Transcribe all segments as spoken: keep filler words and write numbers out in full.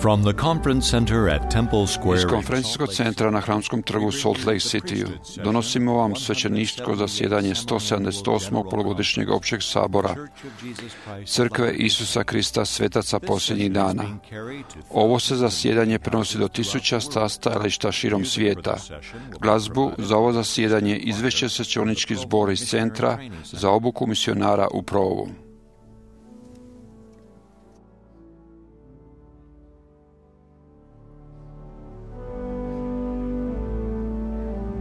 From the conference center at Temple Square Iz konferencijskog centra na Hramskom trgu Salt Lake Cityu donosimo vam svećeničko zasjedanje sto sedamdeset osmog polugodišnjeg općeg sabora Crkve Isusa Krista svetaca posljednjih dana. Ovo se zasjedanje prenosi do tisuća stajališta širom svijeta. Glazbu za ovo zasjedanje izvešće svećenički zbor iz Centra za obuku misionara u Provu.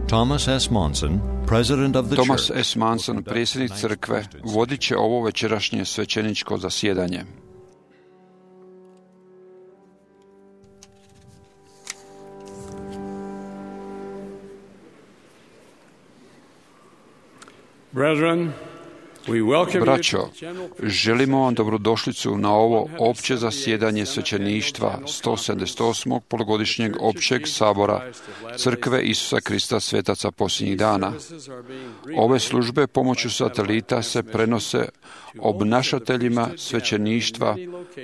Thomas S. Monson, president of the Thomas church, S. Monson, predsjednik crkve, vodit će ovo večerašnje svećeničko zasjedanje. Brethren, we welcome Braćo, you to the general želimo vam dobrodošlicu na ovo opće zasjedanje svećeništva sto sedamdeset osmog polugodišnjeg općeg sabora Crkve Isusa Krista svetaca posljednjih dana. Ove službe pomoću satelita se prenose obnašateljima svećeništva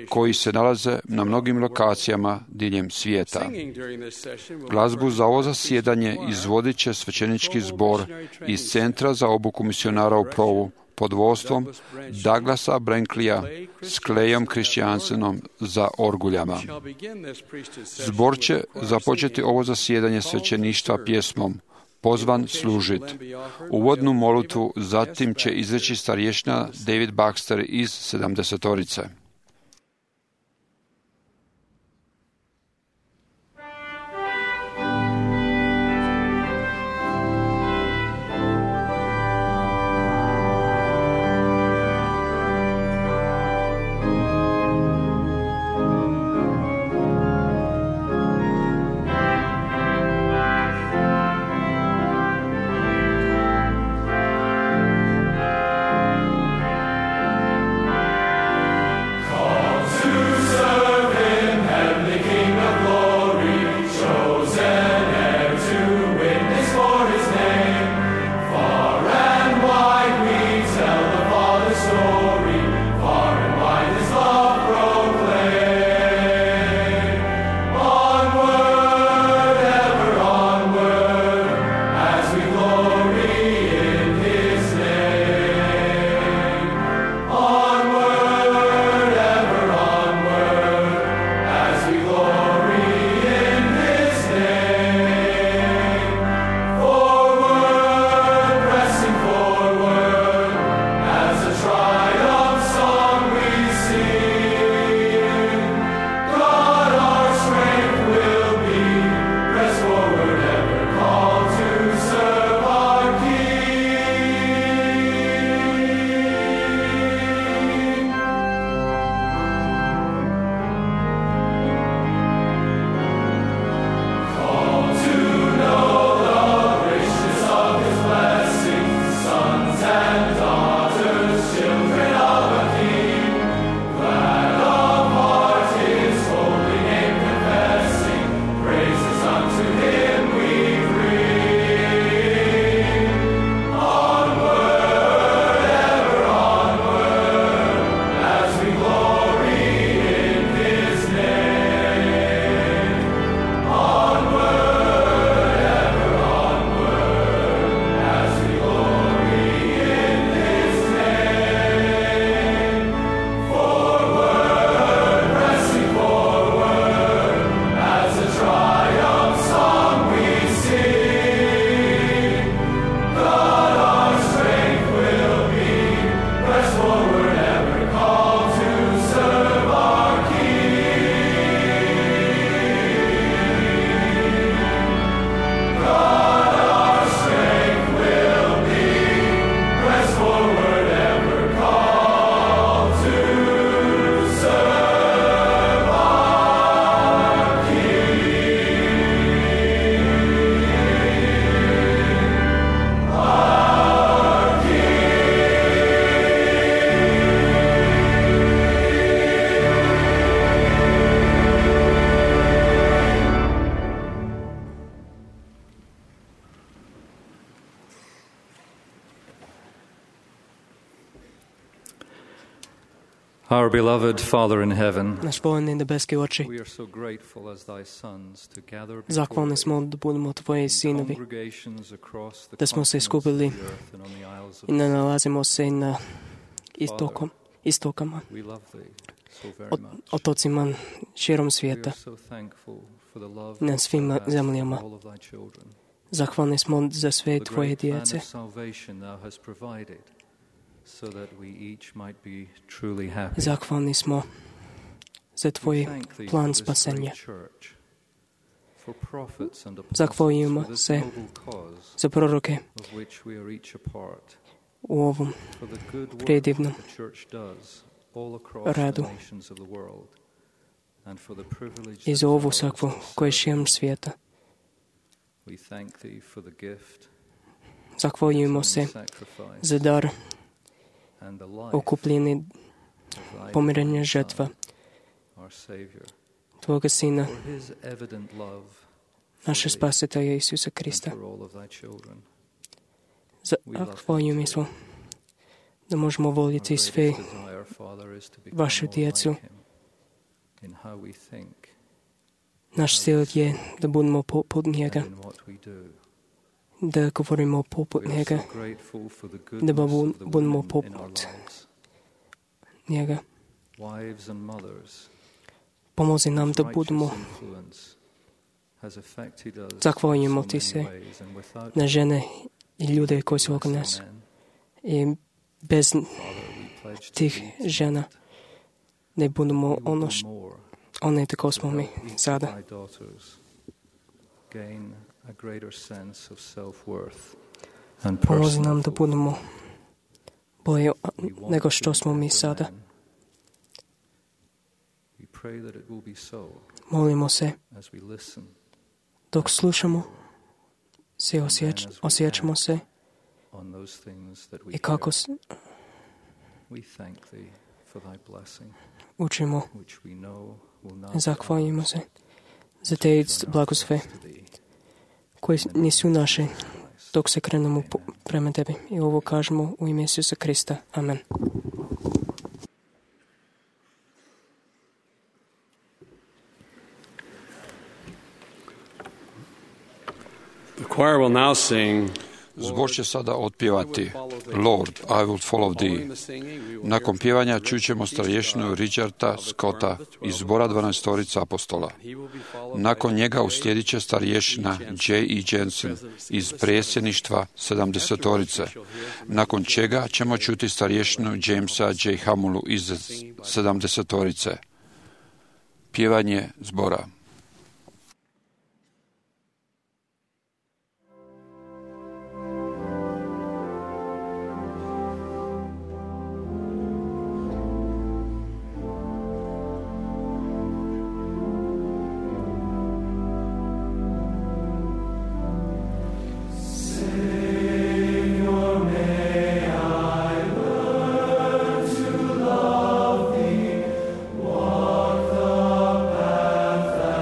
koji se nalaze na mnogim lokacijama diljem svijeta. Glazbu za ovo zasjedanje izvodit će svećenički zbor iz Centra za obuku misionara u Provu pod vodstvom Douglasa Branklija s Clayom Christiansenom za orguljama. Zbor će započeti ovo zasjedanje svećeništva pjesmom Pozvan služit. Uvodnu molitvu zatim će izreći starješina David Baxter iz sedamdesetorice. Our beloved Father in heaven, Naš voljeni nebeski oči, we are so grateful as thy sons to gather before zahvalni thee smo da budemo tvoji in sinovi, congregations across the da smo se continents of skupili the earth and on the isles of i ne the sea. nalazimo se na istokom, istokama, We love thee so very od, much. otocima širom We are svijeta. so thankful for the love na that svim thou hast zemljama. for all of thy children. Zahvalni smo za sve The tvoje great plan djece. of salvation thou hast provided, so that we each might be truly happy. Zahvalni smo za tvoj We thank thee plan for this spasenja. great church, for prophets and apostles, Zahvaljujemo for this se noble cause za proroke of which we are each a part, u ovom for the good work predivnom the church does all across radu the nations of the world, and for the privilege i that za is ovu ours sakvu to koja je serve širom thee. svijeta. We thank thee for the gift, Zahvaljujemo se sacrifice, za dar and the life okupljeni of thy pomirenja divine žrtva Son, our Savior, tvoga Sina, for his evident love naše for thee spasitelja Isusa and Krista. for all of thy children. Zahvaljujemo se da možemo Our voljeti greatest sve desire, Father, is to become vašu more djecu. like him in how we think Naš cilj je da budemo poput njega, and in what we do. da govorimo poput We are njega, so grateful for the da goodness of the budemo women in our poput lives, njega. wives and mothers. Pomozi nam da whose budemo, righteous influence has affected us zahvaljujemo in so ti many se ways, and without na them, žene i ljude koji su we oko are nas. so men. I bez Father, we pledge to tih thee žena tonight, ne budemo we will ono do š- more one tako to smo mi help each of sada. thy daughters gain a greater sense of self-worth and Pomozi personal nam da fulfillment. budemo bolje We want nego to što be smo mi better sada. men. We pray that it will be so Molimo se as we listen dok slušamo, se osjeć, osjećamo se on those things that we i kako hear. s- We thank thee for thy blessing, učimo. which we know will not be Zahvaljujemo ours, se za te turn our blagosfe thoughts to thee. koje nisu naše Christ. dok se krenemo po- prema tebi. I ovo kažemo u ime Isusa Krista. Amen. The choir will now sing. Zbor će sada otpjevati Lord, I will follow thee. Nakon pjevanja čućemo starješinu Richarda Scotta iz zbora dvanaestorica apostola. Nakon njega uslijedit će starješina J E Jensen iz predsjedništva sedamdesetorice, nakon čega ćemo čuti starješinu Jamesa J Hamulu iz sedamdesetorice. Pjevanje zbora. Walk the path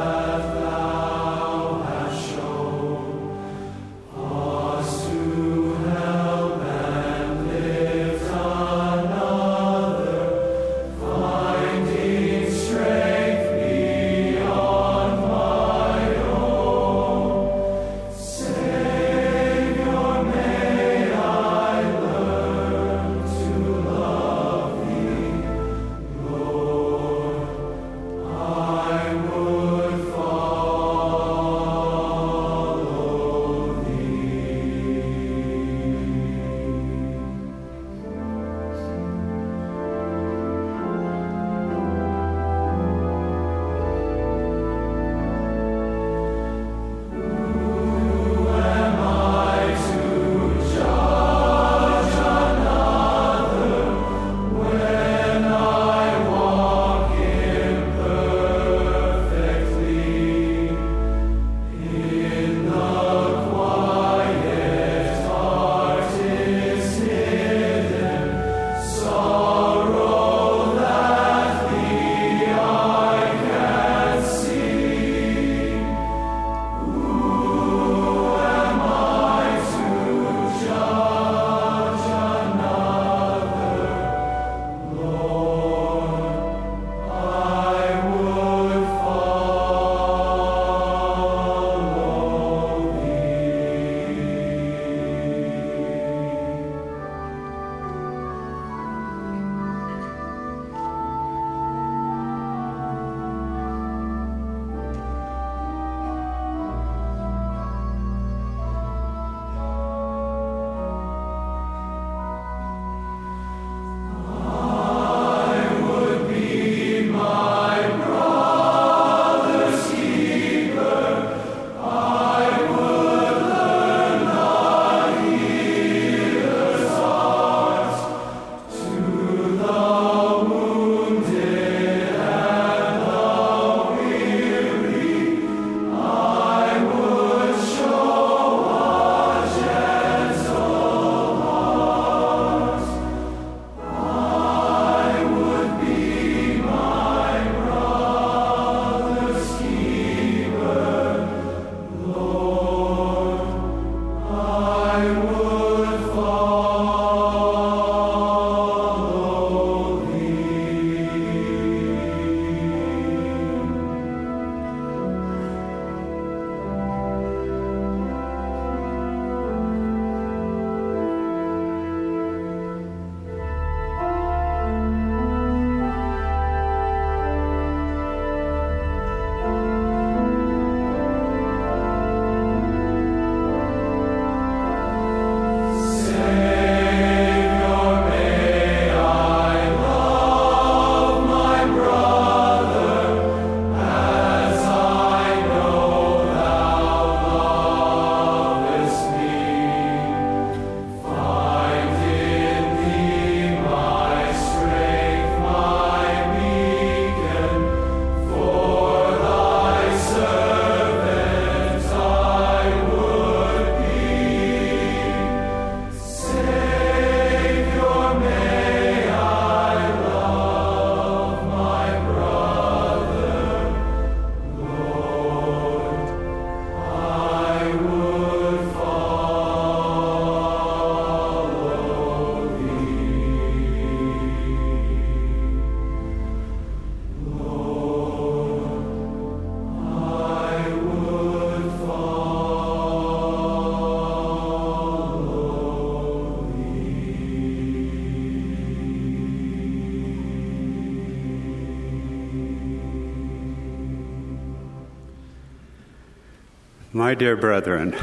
My dear brethren,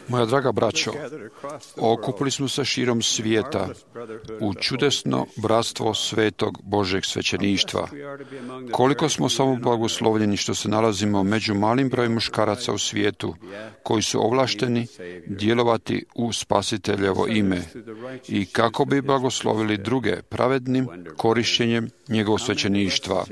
Moja draga braćo, okupili smo se širom svijeta u čudesno bratstvo svetog Božeg svećeništva. Koliko smo samo blagoslovljeni što se nalazimo među malim brojem muškaraca u svijetu koji su ovlašteni djelovati u Spasiteljevo ime i kako bi blagoslovili druge pravednim korištenjem njegovog svećeništva.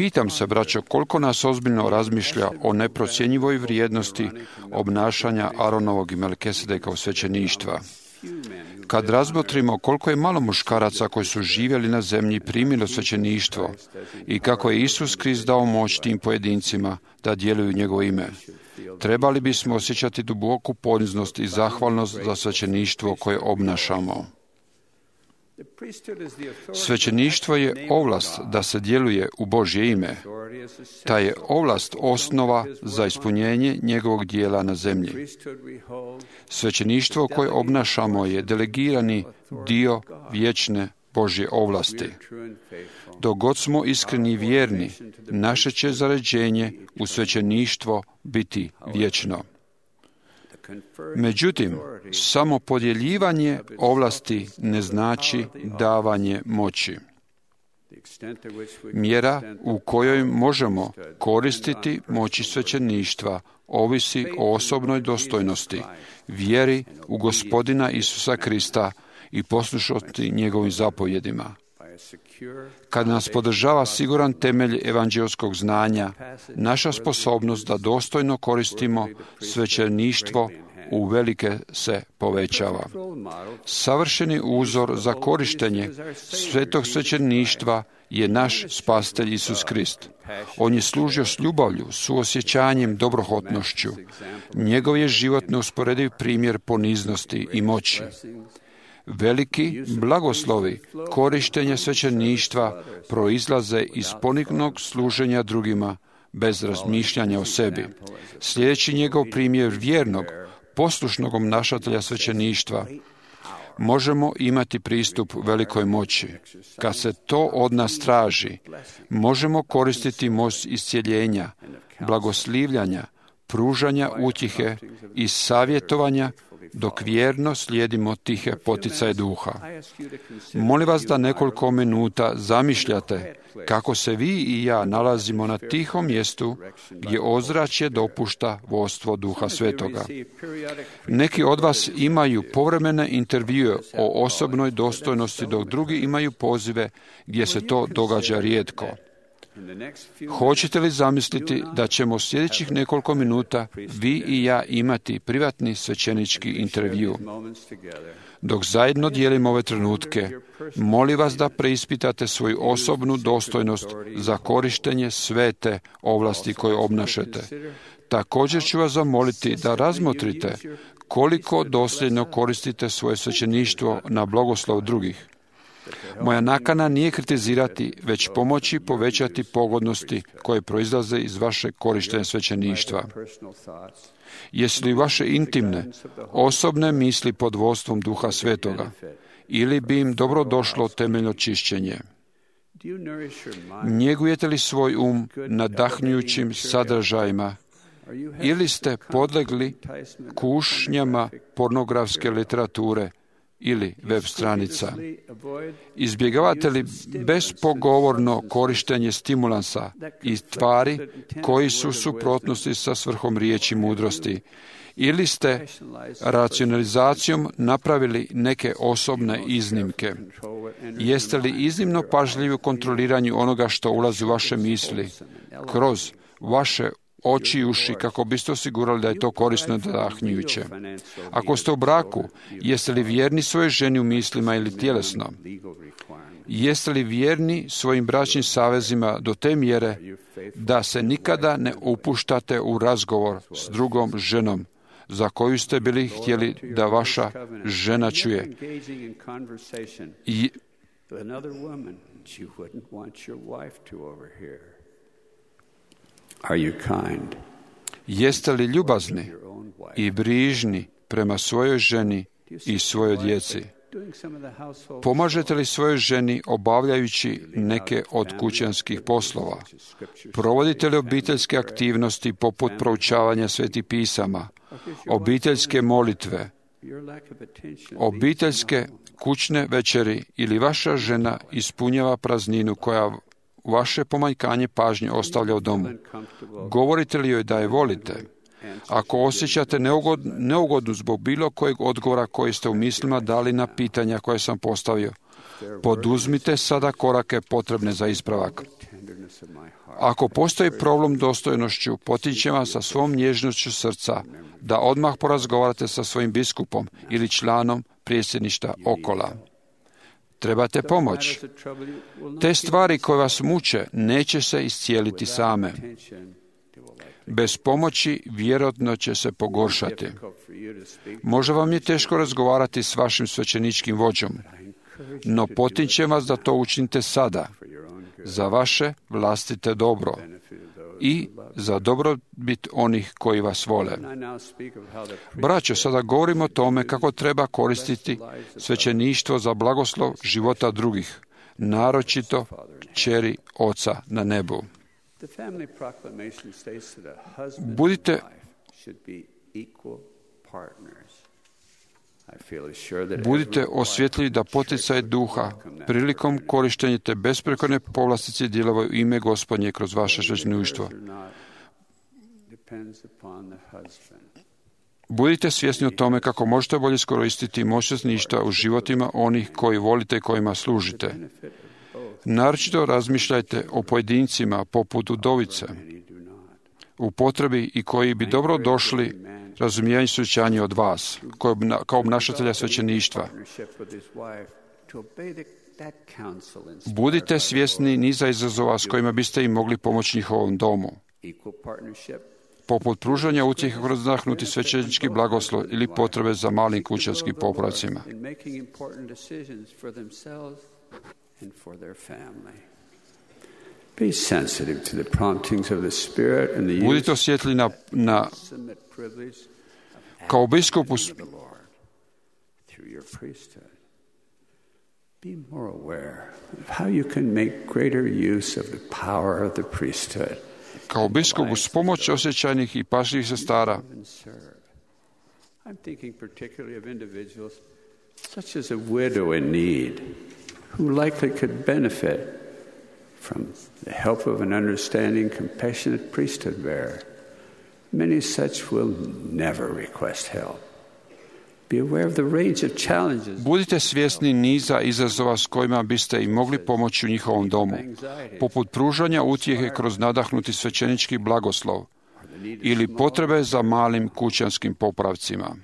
Pitam se, braćo, koliko nas ozbiljno razmišlja o neprocjenjivoj vrijednosti obnašanja Aronovog i Melkisedekov svećeništva. Kad razmotrimo koliko je malo muškaraca koji su živjeli na zemlji primilo svećeništvo i kako je Isus Krist dao moć tim pojedincima da djeluju njegovo ime, trebali bismo osjećati duboku poniznost i zahvalnost za svećeništvo koje obnašamo. Svećeništvo je ovlast da se djeluje u Božje ime. Ta je ovlast osnova za ispunjenje njegovog dijela na zemlji. Svećeništvo koje obnašamo je delegirani dio vječne Božje ovlasti. Dok god smo iskreni i vjerni, naše će zaređenje u svećeništvo biti vječno. Međutim, samo podjeljivanje ovlasti ne znači davanje moći. Mjera u kojoj možemo koristiti moći svećeništva ovisi o osobnoj dostojnosti, vjeri u Gospodina Isusa Krista i poslušnosti njegovim zapovjedima. Kad nas podržava siguran temelj evanđelskog znanja, naša sposobnost da dostojno koristimo svećeništvo uvelike se povećava. Savršeni uzor za korištenje svetog svećeništva je naš Spasitelj Isus Krist. On je služio s ljubavlju, suosjećanjem, dobrohotnošću. Njegov je život neusporediv primjer poniznosti i moći. Veliki blagoslovi korištenja svećeništva proizlaze iz poniznog služenja drugima bez razmišljanja o sebi. Sljedeći njegov primjer vjernog, poslušnog obnašatelja svećeništva, možemo imati pristup velikoj moći. Kad se to od nas traži, možemo koristiti moć iscjeljenja, blagoslivljanja, pružanja utjehe i savjetovanja dok vjerno slijedimo tihe poticaje duha. Molim vas da nekoliko minuta zamišljate kako se vi i ja nalazimo na tihom mjestu gdje ozračje dopušta vodstvo Duha Svetoga. Neki od vas imaju povremene intervjue o osobnoj dostojnosti, dok drugi imaju pozive gdje se to događa rijetko. Hoćete li zamisliti da ćemo sljedećih nekoliko minuta vi i ja imati privatni svećenički intervju? Dok zajedno dijelimo ove trenutke, molim vas da preispitate svoju osobnu dostojnost za korištenje svete ovlasti koje obnašate. Također ću vas zamoliti da razmotrite koliko dosljedno koristite svoje svećeništvo na blagoslov drugih. Moja nakana nije kritizirati, već pomoći povećati pogodnosti koje proizlaze iz vašeg korištenja svećeništva. Jesu li vaše intimne, osobne misli pod vodstvom Duha Svetoga, ili bi im dobro došlo temeljno čišćenje? Njegujete li svoj um nadahnjujućim sadržajima, ili ste podlegli kušnjama pornografske literature ili web stranica? Izbjegavate li bespogovorno korištenje stimulansa i tvari koji su u suprotnosti sa svrhom riječi mudrosti? Ili ste racionalizacijom napravili neke osobne iznimke? Jeste li iznimno pažljivi u kontroliranju onoga što ulazi u vaše misli kroz vaše oči i uši kako biste osigurali da je to korisno i nadahnjujuće? Ako ste u braku, jeste li vjerni svojoj ženi u mislima ili tjelesno? Jeste li vjerni svojim bračnim savezima do te mjere da se nikada ne upuštate u razgovor s drugom ženom za koju ste bili htjeli da vaša žena čuje? I are you kind? Jeste li ljubazni i brižni prema svojoj ženi i svojoj djeci? Pomažete li svojoj ženi obavljajući neke od kućanskih poslova? Provodite li obiteljske aktivnosti poput proučavanja svetih pisama, obiteljske molitve, obiteljske kućne večeri ili vaša žena ispunjava prazninu koja vaše pomanjkanje pažnje ostavlja u domu? Govorite li joj da je volite? Ako osjećate neugod, neugodnu zbog bilo kojeg odgovora koji ste u mislima dali na pitanja koje sam postavio, poduzmite sada korake potrebne za ispravak. Ako postoji problem dostojnošću, potičem vas sa svom nježnošću srca da odmah porazgovarate sa svojim biskupom ili članom predsjedništva okola. Trebate pomoć. Te stvari koje vas muče neće se iscijeliti same. Bez pomoći vjerojatno će se pogoršati. Možda vam je teško razgovarati s vašim svećeničkim vođom, no potičem vas da to učinite sada, za vaše vlastite dobro i za dobrobit onih koji vas vole. Braćo, sada govorimo o tome kako treba koristiti svećeništvo za blagoslov života drugih, naročito kćeri Oca na nebu. Budite Budite osvjetljivi da poticaj duha prilikom korištenja te besprekorne povlastice djelovaju u ime Gospodnje kroz vaše svećeništvo. Budite svjesni o tome kako možete bolje iskoristiti moć svećeništva u životima onih koji volite i kojima služite. Naročito razmišljajte o pojedincima poput udovice u potrebi i koji bi dobro došli razumijevanju svećanja od vas, kao obnašatelja svećeništva. Budite svjesni niza izazova s kojima biste im mogli pomoći njihovom domu, poput pružanja utjehe kroz nadahnuti svećenički blagoslov ili potrebe za malim kućanskim popravcima. Budite osjetljivi na, na kao biskupu kao biskupu s pomoći osjećajnih i pažljivih sestara such as a widow in need who likely could benefit from the help of an understanding, compassionate priesthood bearer. Many such will never request help. Be aware of the range of challenges. Budite svjesni niza izazova s kojima biste im mogli pomoći u njihovom domu, poput pružanja utjehe kroz nadahnuti svećenički blagoslov ili potrebe za malim kućanskim popravcima.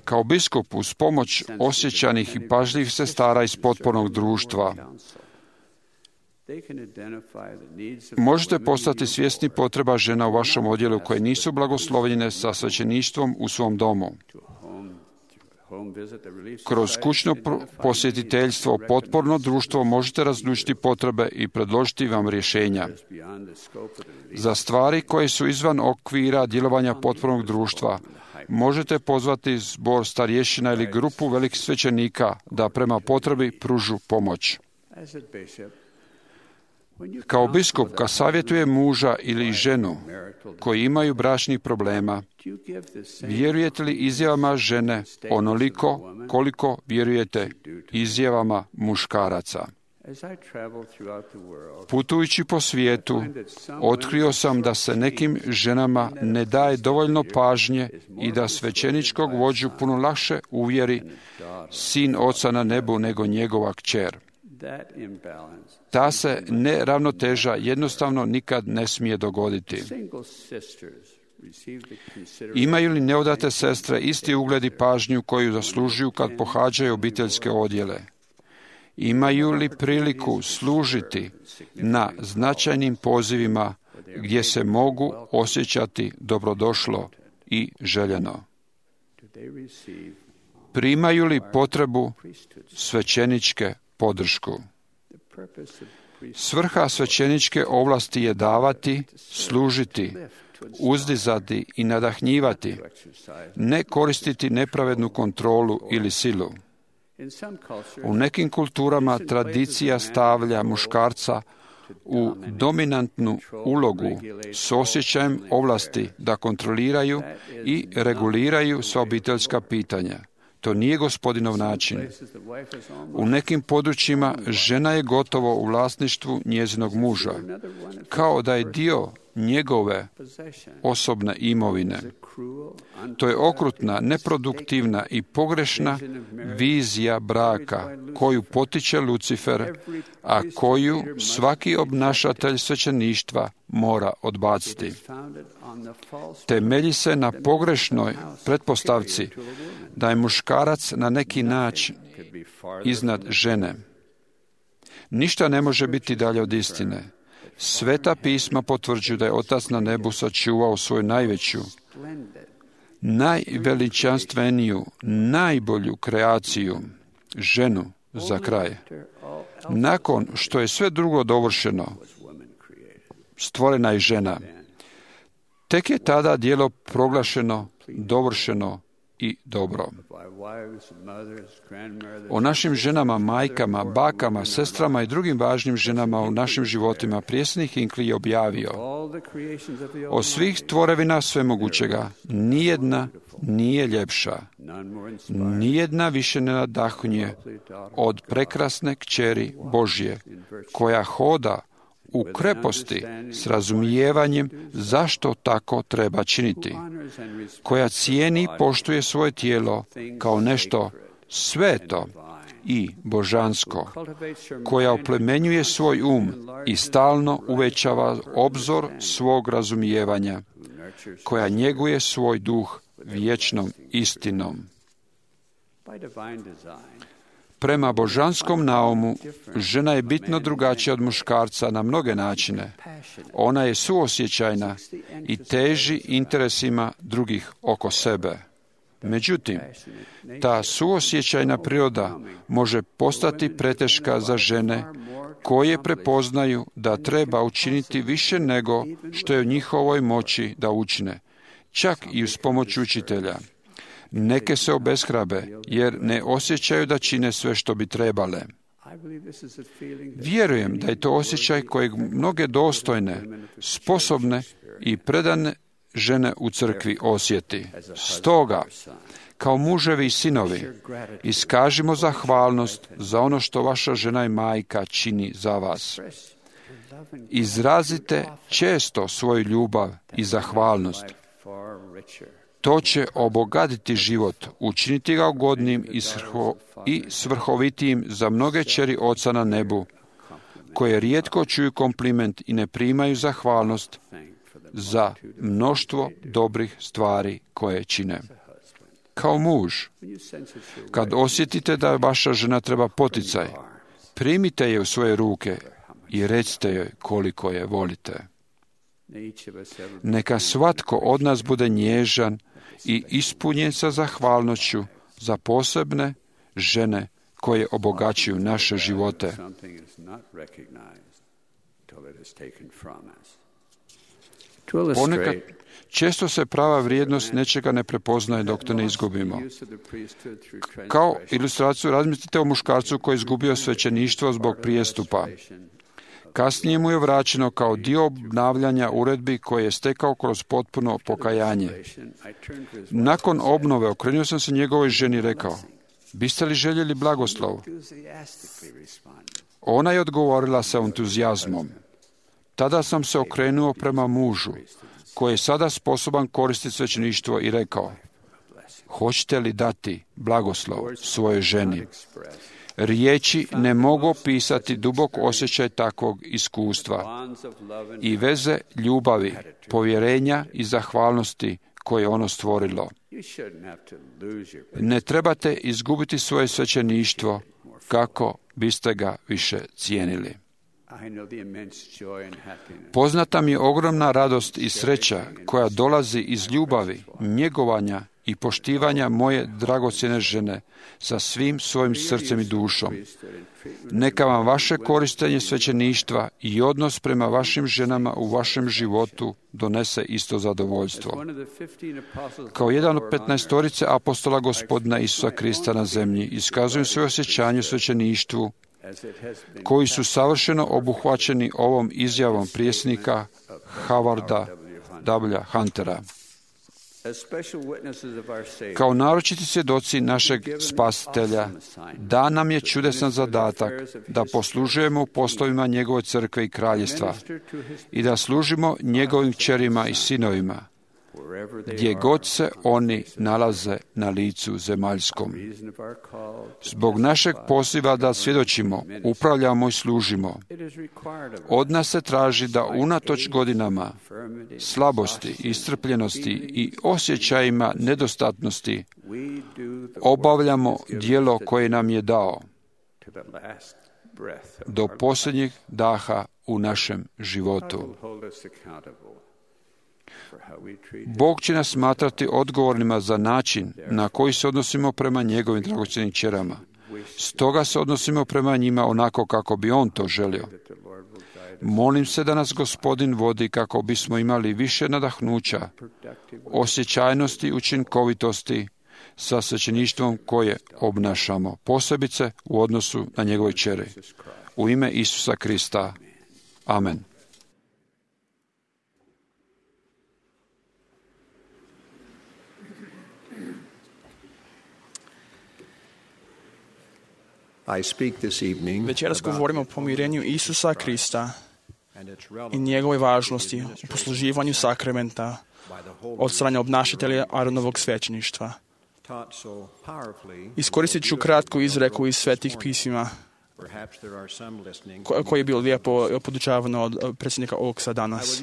Kao biskup uz pomoć osjećanih i pažljivih sestara iz potpornog društva možete postati svjesni potreba žena u vašem odjelu koje nisu blagoslovljene sa svećeništvom u svom domu. Kroz kućno posjetiteljstvo, potporno društvo možete razlučiti potrebe i predložiti vam rješenja. Za stvari koje su izvan okvira djelovanja potpornog društva, možete pozvati zbor starješina ili grupu velikih svećenika da prema potrebi pružu pomoć. Kao biskup, kad savjetuje muža ili ženu koji imaju bračnih problema, vjerujete li izjavama žene onoliko koliko vjerujete izjavama muškaraca? Putujući po svijetu, otkrio sam da se nekim ženama ne daje dovoljno pažnje i da svećeničkog vođu puno lakše uvjeri sin Oca na nebu nego njegova kćer. Ta se neravnoteža jednostavno nikad ne smije dogoditi. Imaju li neudate sestre isti ugled i pažnju koju zaslužuju kad pohađaju obiteljske odjele? Imaju li priliku služiti na značajnim pozivima gdje se mogu osjećati dobrodošlo i željeno? Primaju li potrebu svećeničke podršku? Svrha svećeničke ovlasti je davati, služiti, uzdizati i nadahnjivati, ne koristiti nepravednu kontrolu ili silu. U nekim kulturama tradicija stavlja muškarca u dominantnu ulogu s osjećajem ovlasti da kontroliraju i reguliraju sva obiteljska pitanja. To nije Gospodinov način. U nekim područjima žena je gotovo u vlasništvu njezinog muža, kao da je dio njegove osobne imovine. To je okrutna, neproduktivna i pogrešna vizija braka koju potiče Lucifer, a koju svaki obnašatelj svećeništva mora odbaciti. Temelji se na pogrešnoj pretpostavci da je muškarac na neki način iznad žene. Ništa ne može biti dalje od istine. Sveta pisma potvrđuju da je Otac na nebu sačuvao svoju najveću, najveličanstveniju, najbolju kreaciju, ženu, za kraj. Nakon što je sve drugo dovršeno, stvorena je žena. Tek je tada djelo proglašeno, dovršeno i dobro. O našim ženama, majkama, bakama, sestrama i drugim važnim ženama u našim životima prijesnik Hinckley je objavio: od svih tvorevina svemogućega nijedna nije ljepša, nijedna više ne nadahnjuje od prekrasne kćeri Božje, koja hoda u kreposti s razumijevanjem zašto tako treba činiti, koja cijeni i poštuje svoje tijelo kao nešto sveto i božansko, koja oplemenjuje svoj um i stalno uvećava obzor svog razumijevanja, koja njeguje svoj duh vječnom istinom. Prema božanskom naumu, žena je bitno drugačija od muškarca na mnoge načine. Ona je suosjećajna i teži interesima drugih oko sebe. Međutim, ta suosjećajna priroda može postati preteška za žene koje prepoznaju da treba učiniti više nego što je u njihovoj moći da učine, čak i uz pomoć učitelja. Neke se obeshrabe jer ne osjećaju da čine sve što bi trebale. Vjerujem da je to osjećaj kojeg mnoge dostojne, sposobne i predane žene u crkvi osjeti. Stoga, kao muževi i sinovi, iskažimo zahvalnost za ono što vaša žena i majka čini za vas. Izrazite često svoju ljubav i zahvalnost. To će obogatiti život, učiniti ga ugodnim i, svrho, i svrhovitijim za mnoge kćeri Oca na nebu, koje rijetko čuju kompliment i ne primaju zahvalnost za mnoštvo dobrih stvari koje čine. Kao muž, kad osjetite da vaša žena treba poticaj, primite je u svoje ruke i recite joj koliko je volite. Neka svatko od nas bude nježan i ispunjen sa zahvalnošću za posebne žene koje obogaćuju naše živote. Ponekad često se prava vrijednost nečega ne prepoznaje dok to ne izgubimo. Kao ilustraciju razmislite o muškarcu koji je izgubio svećeništvo zbog prijestupa. Kasnije mu je vraćeno kao dio obnavljanja uredbi koje je stekao kroz potpuno pokajanje. Nakon obnove okrenuo sam se njegovoj ženi i rekao: biste li željeli blagoslov? Ona je odgovorila sa entuzijazmom. Tada sam se okrenuo prema mužu, koji je sada sposoban koristiti svećeništvo, i rekao: hoćete li dati blagoslov svojoj ženi? Riječi ne mogu opisati dubok osjećaj takvog iskustva i veze ljubavi, povjerenja i zahvalnosti koje je ono stvorilo. Ne trebate izgubiti svoje svećeništvo kako biste ga više cijenili. Poznata mi je ogromna radost i sreća koja dolazi iz ljubavi, njegovanja i poštivanja moje dragocjene žene sa svim svojim srcem i dušom. Neka vam vaše korištenje svećeništva i odnos prema vašim ženama u vašem životu donese isto zadovoljstvo. Kao jedan od petnaestorice apostola Gospodina Isusa Krista na zemlji, iskazujem svoje osjećanje u svećeništvu, koji su savršeno obuhvaćeni ovom izjavom prijesnika Howarda W. Huntera. Kao naročiti svjedoci našeg Spasitelja, dan nam je čudesan zadatak da poslužujemo u poslovima njegove crkve i kraljestva i da služimo njegovim kćerima i sinovima, gdje god se oni nalaze na licu zemaljskom. Zbog našeg poziva da svjedočimo, upravljamo i služimo, od nas se traži da unatoč godinama slabosti, iscrpljenosti i osjećajima nedostatnosti obavljamo djelo koje nam je dao do posljednjeg daha u našem životu. Bog će nas smatrati odgovornima za način na koji se odnosimo prema njegovim dragocjenim kćerama. Stoga se odnosimo prema njima onako kako bi on to želio. Molim se da nas Gospodin vodi kako bismo imali više nadahnuća, osjećajnosti i učinkovitosti sa svećeništvom koje obnašamo, posebice u odnosu na njegove kćeri. U ime Isusa Krista. Amen. Večeras govorimo o pomirenju Isusa Krista i njegove važnosti u posluživanju sakramenta od strane obnašatelja Aronovog svećeništva. Iskoristit ću kratku izreku iz Svetih pisima koji je bio lijepo podučavano od predsjednika Oaksa danas.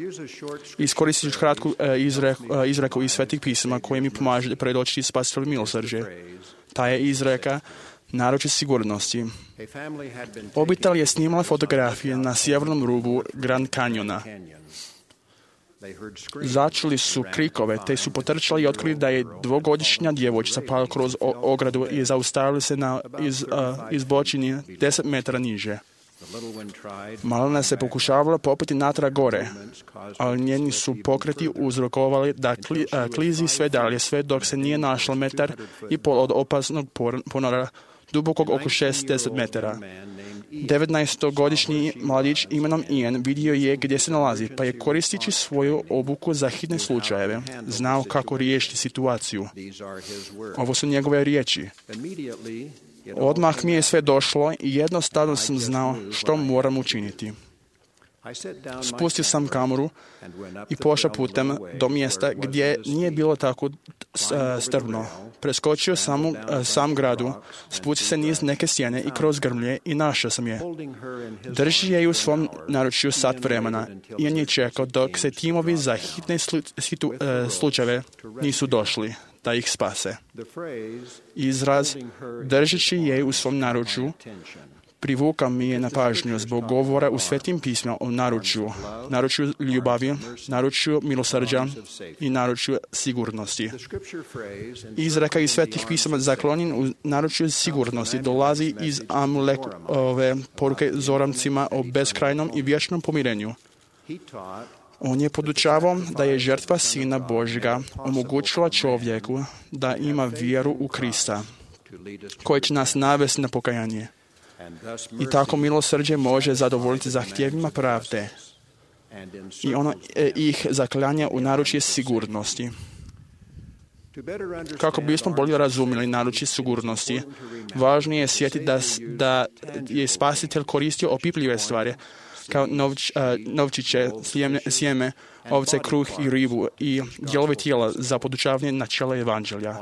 Iskoristit ću kratku izreku, izreku iz Svetih pisama koji mi pomaže predočiti spasitelju milosrđe. Ta je izreka naročit sigurnosti. Obitelj je snimala fotografije na sjevernom rubu Grand Canyona. Začuli su krikove, te su potrčali i otkrili da je dvogodišnja djevojčica pala kroz ogradu i zaustavili se na iz, uh, izbočini deset metara niže. Malena se pokušavala popeti natrag gore, ali njeni su pokreti uzrokovali da kli, uh, klizi sve dalje, sve dok se nije našla metar i pol od opasnog ponora, dubokog oko šezdeset metara. devetnaestogodišnji mladić imenom Ian vidio je gdje se nalazi, pa je koristeći svoju obuku za hitne slučajeve znao kako riješiti situaciju. Ovo su njegove riječi. Odmah mi je sve došlo i jednostavno sam znao što moram učiniti. Spustio sam kameru i pošao putem do mjesta gdje nije bilo tako strvno. Preskočio sam u sam gradu, spustio se niz neke stijene i kroz grmlje i našao sam je. Drži je u svom naručju sat vremena i on je čekao dok se timovi za hitne slu, slučajeve nisu došli da ih spase. Izraz držeći je u svom naručju privuka mi je na pažnju zbog govora u Svetim pismima o naručju, naručju ljubavi, naručju milosrđa i naručju sigurnosti. Izreka iz Svetih pisama zaklonjen u naručju sigurnosti dolazi iz Amulekove poruke zoramcima o beskrajnom i vječnom pomirenju. On je podučavao da je žrtva Sina Božjega omogućila čovjeku da ima vjeru u Krista, koji će nas navesti na pokajanje. I tako milosrđe može zadovoljiti zahtjevima pravde. I ono e, ih zaklanja u naručje sigurnosti. Kako bismo bolje razumjeli naručje sigurnosti, važno je sjetiti da, da je Spasitelj koristio opipljive stvari, kao novč, uh, novčiće, sjeme, sjeme, ovce, kruh i ribu i dijelove tijela za podučavanje načela evanđelja.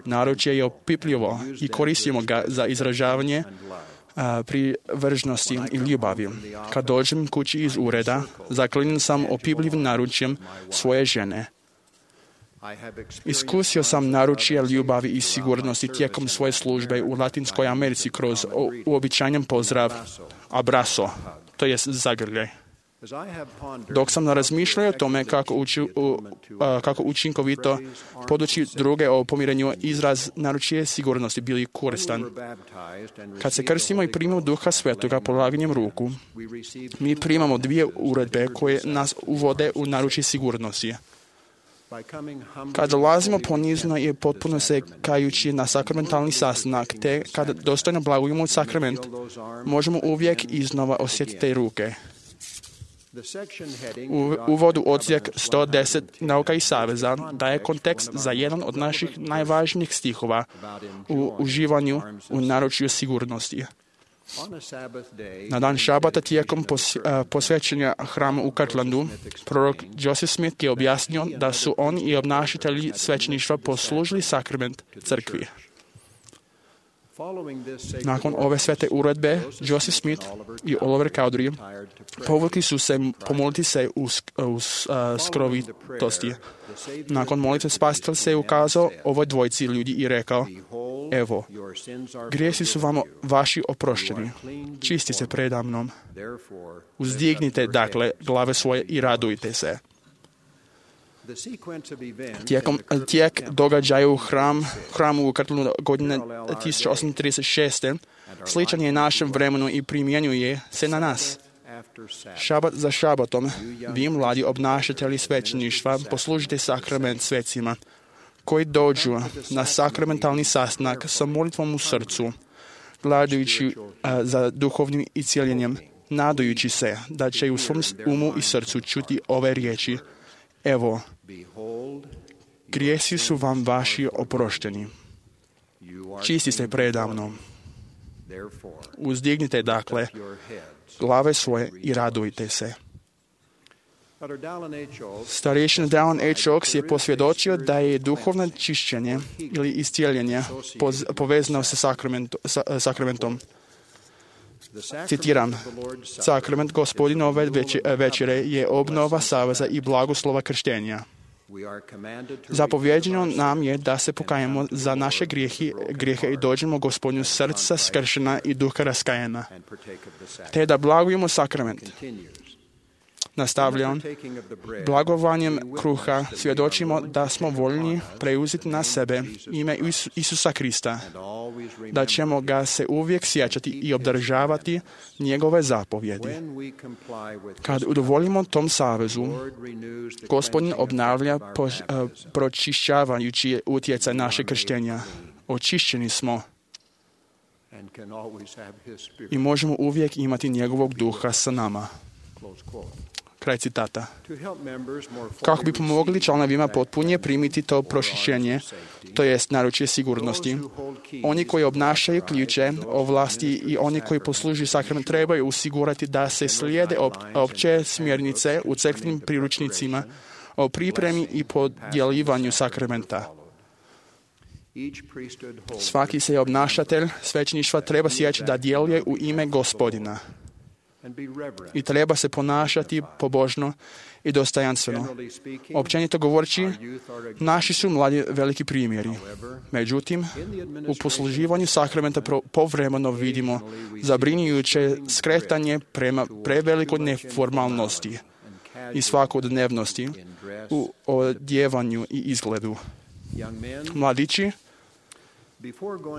Naručje je opipljivo i koristimo ga za izražavanje Uh, privržnosti i ljubavi. Kad dođem kući iz ureda, zaklinjen sam opipljivim naručjem svoje žene. Iskusio sam naručje ljubavi i sigurnosti tijekom svoje službe u Latinskoj Americi kroz uobičajen pozdrav abrazo, to jest zagrljaj. Dok sam razmišljao o tome kako, uči, u, kako učinkovito podući druge o pomirenju, izraz naručje sigurnosti bili koristan. Kad se krstimo i primimo Duha Svetoga polaganjem ruku, mi primamo dvije uredbe koje nas uvode u naručje sigurnosti. Kad dolazimo ponizno i potpuno se kajući na sakramentalni sastanak, te kad dostojno blagujemo sakrament, možemo uvijek iznova osjetiti te ruke. U uvodu odsjek sto deset Nauka i saveza daje kontekst za jedan od naših najvažnijih stihova u uživanju u naručju sigurnosti. Na dan šabata tijekom posvećenja hrama u Kirtlandu, prorok Joseph Smith je objasnio da su oni i obnašatelji svećeništva poslužili sakrament crkvi. Nakon ove svete uredbe, Joseph Smith i Oliver Cowdery povukli su se pomoliti se u, u uh, skrovitosti. Nakon molitve spasitelj se ukazao ovoj dvojci ljudi i rekao: evo, grijesi su vam vaši oprošteni, čisti se predamnom. Uzdignite, dakle, glave svoje i radujte se. Tijekom, tijek događaja u hram, hramu u Kirtlandu godine tisuća osamsto trideset šeste sličan je našem vremenu i primjenjuje se na nas. Šabat za šabatom, vi mladi obnašatelji svećeništva poslužite sakrament svecima koji dođu na sakramentalni sastanak sa molitvom u srcu, gledajući uh, za duhovnim iscijeljenjem, nadajući se da će u svom umu i srcu čuti ove riječi: evo, grijesi su vam vaši oprošteni, čisti ste predamnom. Uzdignite, dakle, glave svoje i radujte se. Starješina Dallin H. Oaks je posvjedočio da je duhovno čišćenje ili iscijeljenje povezano sa sakramentom. Citiram: sakrament Gospodinove večere je obnova saveza i blagoslova krštenja. Zapovjeđeno nam je da se pokajemo za naše grijehe, grijehe i dođemo Gospodinu srca skršena i duha raskajena, te da blagujemo sakrament. Nastavlja on: blagovanjem kruha svjedočimo da smo voljni preuzeti na sebe ime Isusa Krista, da ćemo ga se uvijek sjećati i obdržavati njegove zapovjedi. Kad udovoljimo tom savezu, Gospodin obnavlja po, pročišćavajući utjecaj naše krštenja. Očišćeni smo i možemo uvijek imati njegovog duha sa nama. Kraj citata. Kako bi pomogli članovima potpunije primiti to pročišćenje, to jest naručje sigurnosti, oni koji obnašaju ključe ovlasti i oni koji poslužuju sakrament trebaju osigurati da se slijede opće smjernice u crkvenim priručnicima o pripremi i podjelivanju sakramenta. Svaki se obnašatelj svećeništva treba sjećati da djeluje u ime Gospodina i treba se ponašati pobožno i dostojanstveno. Općenito govoreći, naši su mladi veliki primjeri. Međutim, u posluživanju sakramenta povremeno vidimo zabrinjujuće skretanje prema prevelikoj neformalnosti i svakodnevnosti u odjevanju i izgledu. Mladići,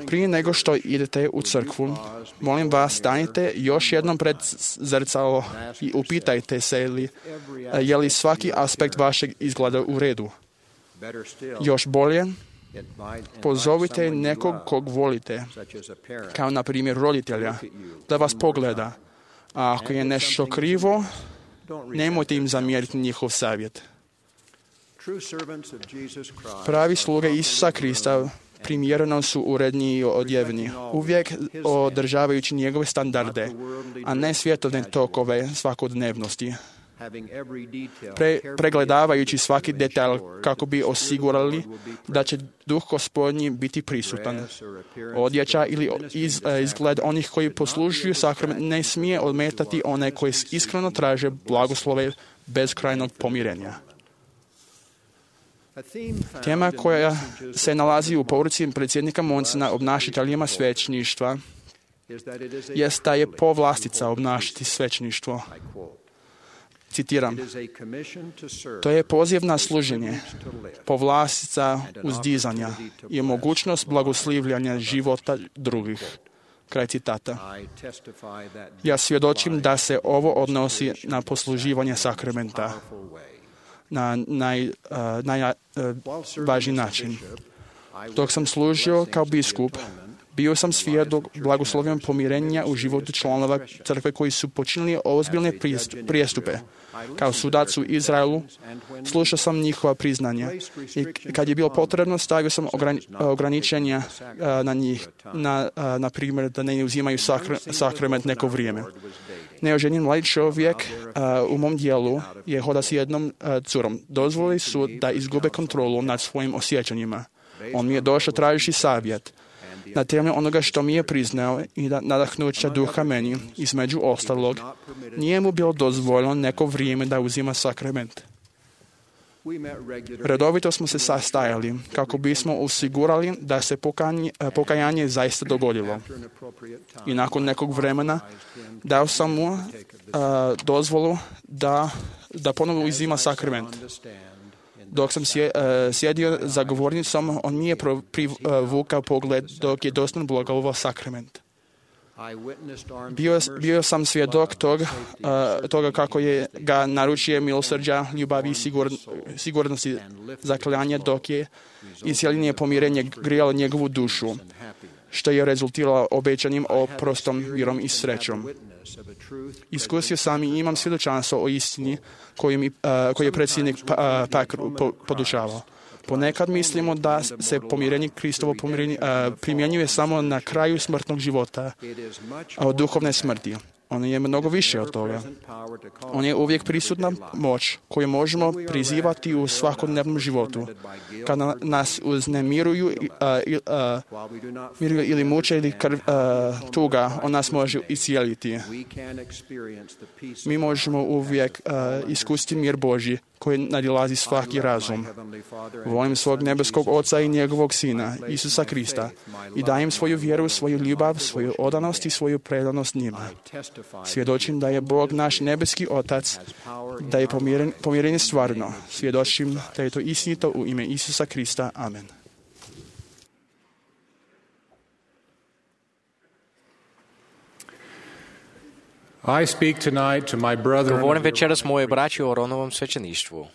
prije nego što idete u crkvu, molim vas, stanite još jednom pred zrcalo i upitajte se li, je li svaki aspekt vašeg izgleda u redu. Još bolje, pozovite nekog kog volite, kao na primjer roditelja, da vas pogleda. A ako je nešto krivo, nemojte im zamjeriti njihov savjet. Pravi sluge Isusa Krista primjereno su uredni i odjevni, uvijek održavajući njegove standarde, a ne svjetovne tokove svakodnevnosti. Pre, pregledavajući svaki detalj kako bi osigurali da će duh Gospodnji biti prisutan. Odjeća ili iz, izgled onih koji poslužuju sakrament ne smije odmetati one koji iskreno traže blagoslove bezkrajnog pomirenja. Tema koja se nalazi u poruci predsjednika Monsena obnašateljima svećeništva jest da je povlastica obnašati svećeništvo. Citiram, to je poziv na služenje, povlastica uzdizanja i mogućnost blagoslivljanja života drugih. Kraj citata. Ja svjedočim da se ovo odnosi na posluživanje sakramenta na najvažniji način. Dok sam služio kao biskup, bio sam svjedok blagoslovljenog pomirenja u životu članova crkve koji su počinili ozbiljne prijestupe. Kao sudac u Izraelu slušao sam njihova priznanja i kad je bilo potrebno stavio sam ograničenja na njih, na, na primjer da ne uzimaju sakrament neko vrijeme. Neoženjen mladi čovjek u mom dijelu je hoda s jednom curom. Dozvolili su da izgube kontrolu nad svojim osjećanjima. On mi je došao tražiti savjet. Na temelju onoga što mi je priznao i da nadahnuća duha meni, između ostalog, nije mu bilo dozvoljeno neko vrijeme da uzima sakrament. Redovito smo se sastajali kako bismo osigurali da se pokajanje, pokajanje zaista dogodilo. I nakon nekog vremena dao sam mu uh, dozvolu da, da ponovno uzima sakrament. Dok sam sjedio za govornicom, on nije privukao pogled dok je dostan blagoslovio sakrament. Bio, bio sam svjedok tog, uh, toga kako je ga naručje milosrđa, ljubavi i sigur, sigurnosti zakljanja dok je isjeljenje pomirenje grijalo njegovu dušu, što je rezultiralo obećanim oprostom, mirom i srećom. Iskusio sam i imam svjedočanstvo o istini koju, mi, uh, koju je predsjednik uh, Pak po, podučavao. Ponekad mislimo da se pomirenje, Kristovo pomirenje, uh, primjenjuje samo na kraju smrtnog života, a od duhovne smrti. On je mnogo više od toga. On je uvijek prisutna moć koju možemo prizivati u svakodnevnom životu. Kada nas uznemiruju uh, uh, ili muče ili krv, uh, tuga, on nas može iscijeliti. Mi možemo uvijek uh, iskusiti mir Božji koji nadilazi svaki razum. Volim svog nebeskog Oca i njegovog Sina, Isusa Krista, i dajem svoju vjeru, svoju ljubav, svoju odanost i svoju predanost njima. Svjedočim da je Bog naš nebeski Otac, da je pomiren, pomirenje stvarno. Svjedočim da je to istinito u ime Isusa Krista. Amen. I speak tonight to my brother. Govorim večeras moje braći o Ronovom svećeništvu.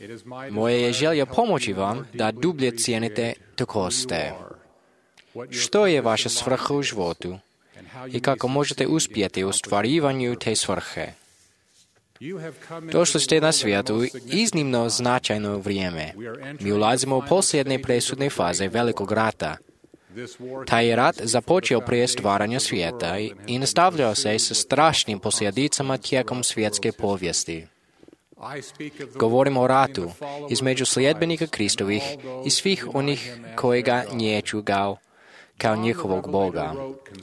Moje je želja pomoći vam da dublje cijenite tko ste. Što je vaša svrha u životu i kako možete uspjeti u ostvarivanju te svrhe? Došli ste na svijetu iznimno značajno vrijeme. Mi ulazimo u posljednje presudne faze velikog rata. Taj je rat započeo prije stvaranja svijeta i nastavljao se sa strašnim posljedicama tijekom svjetske povijesti. Govorimo o ratu između sljedbenika Kristovih i svih onih koji ga nječu kao, kao njihovog Boga.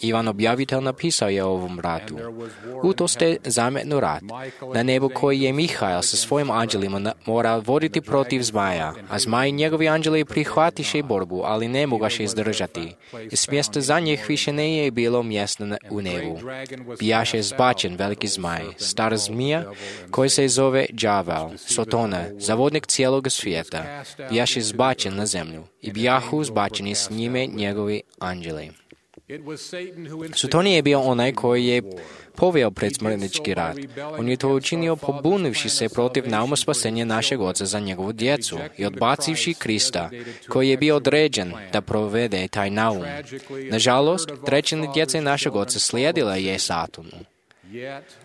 Ivan objavitelj napisao je o ovom ratu. U to ste zametnu rat, na nebu koji je Mihael sa svojim anđelima mora voditi protiv zmaja, a zmaj i njegovi anđeli prihvatiše borbu, ali ne mogaše izdržati. Iz mjesta za njih više ne je bilo mjesta u nebu. Bijaše zbačen veliki zmaj, star zmija, koji se zove đavel, Sotona, zavodnik cijelog svijeta. Bijaše zbačen na zemlju i bijahu zbačeni s njime njegovi anđeli. Soton je bio onaj koji je poveo predsmrtnički rat. On je to učinio pobunivši se protiv nauma spasenja našeg Oca za njegovu djecu i odbacivši Krista, koji je bio određen da provede taj naum. Nažalost, trećine djece našeg Oca slijedila je Satanu,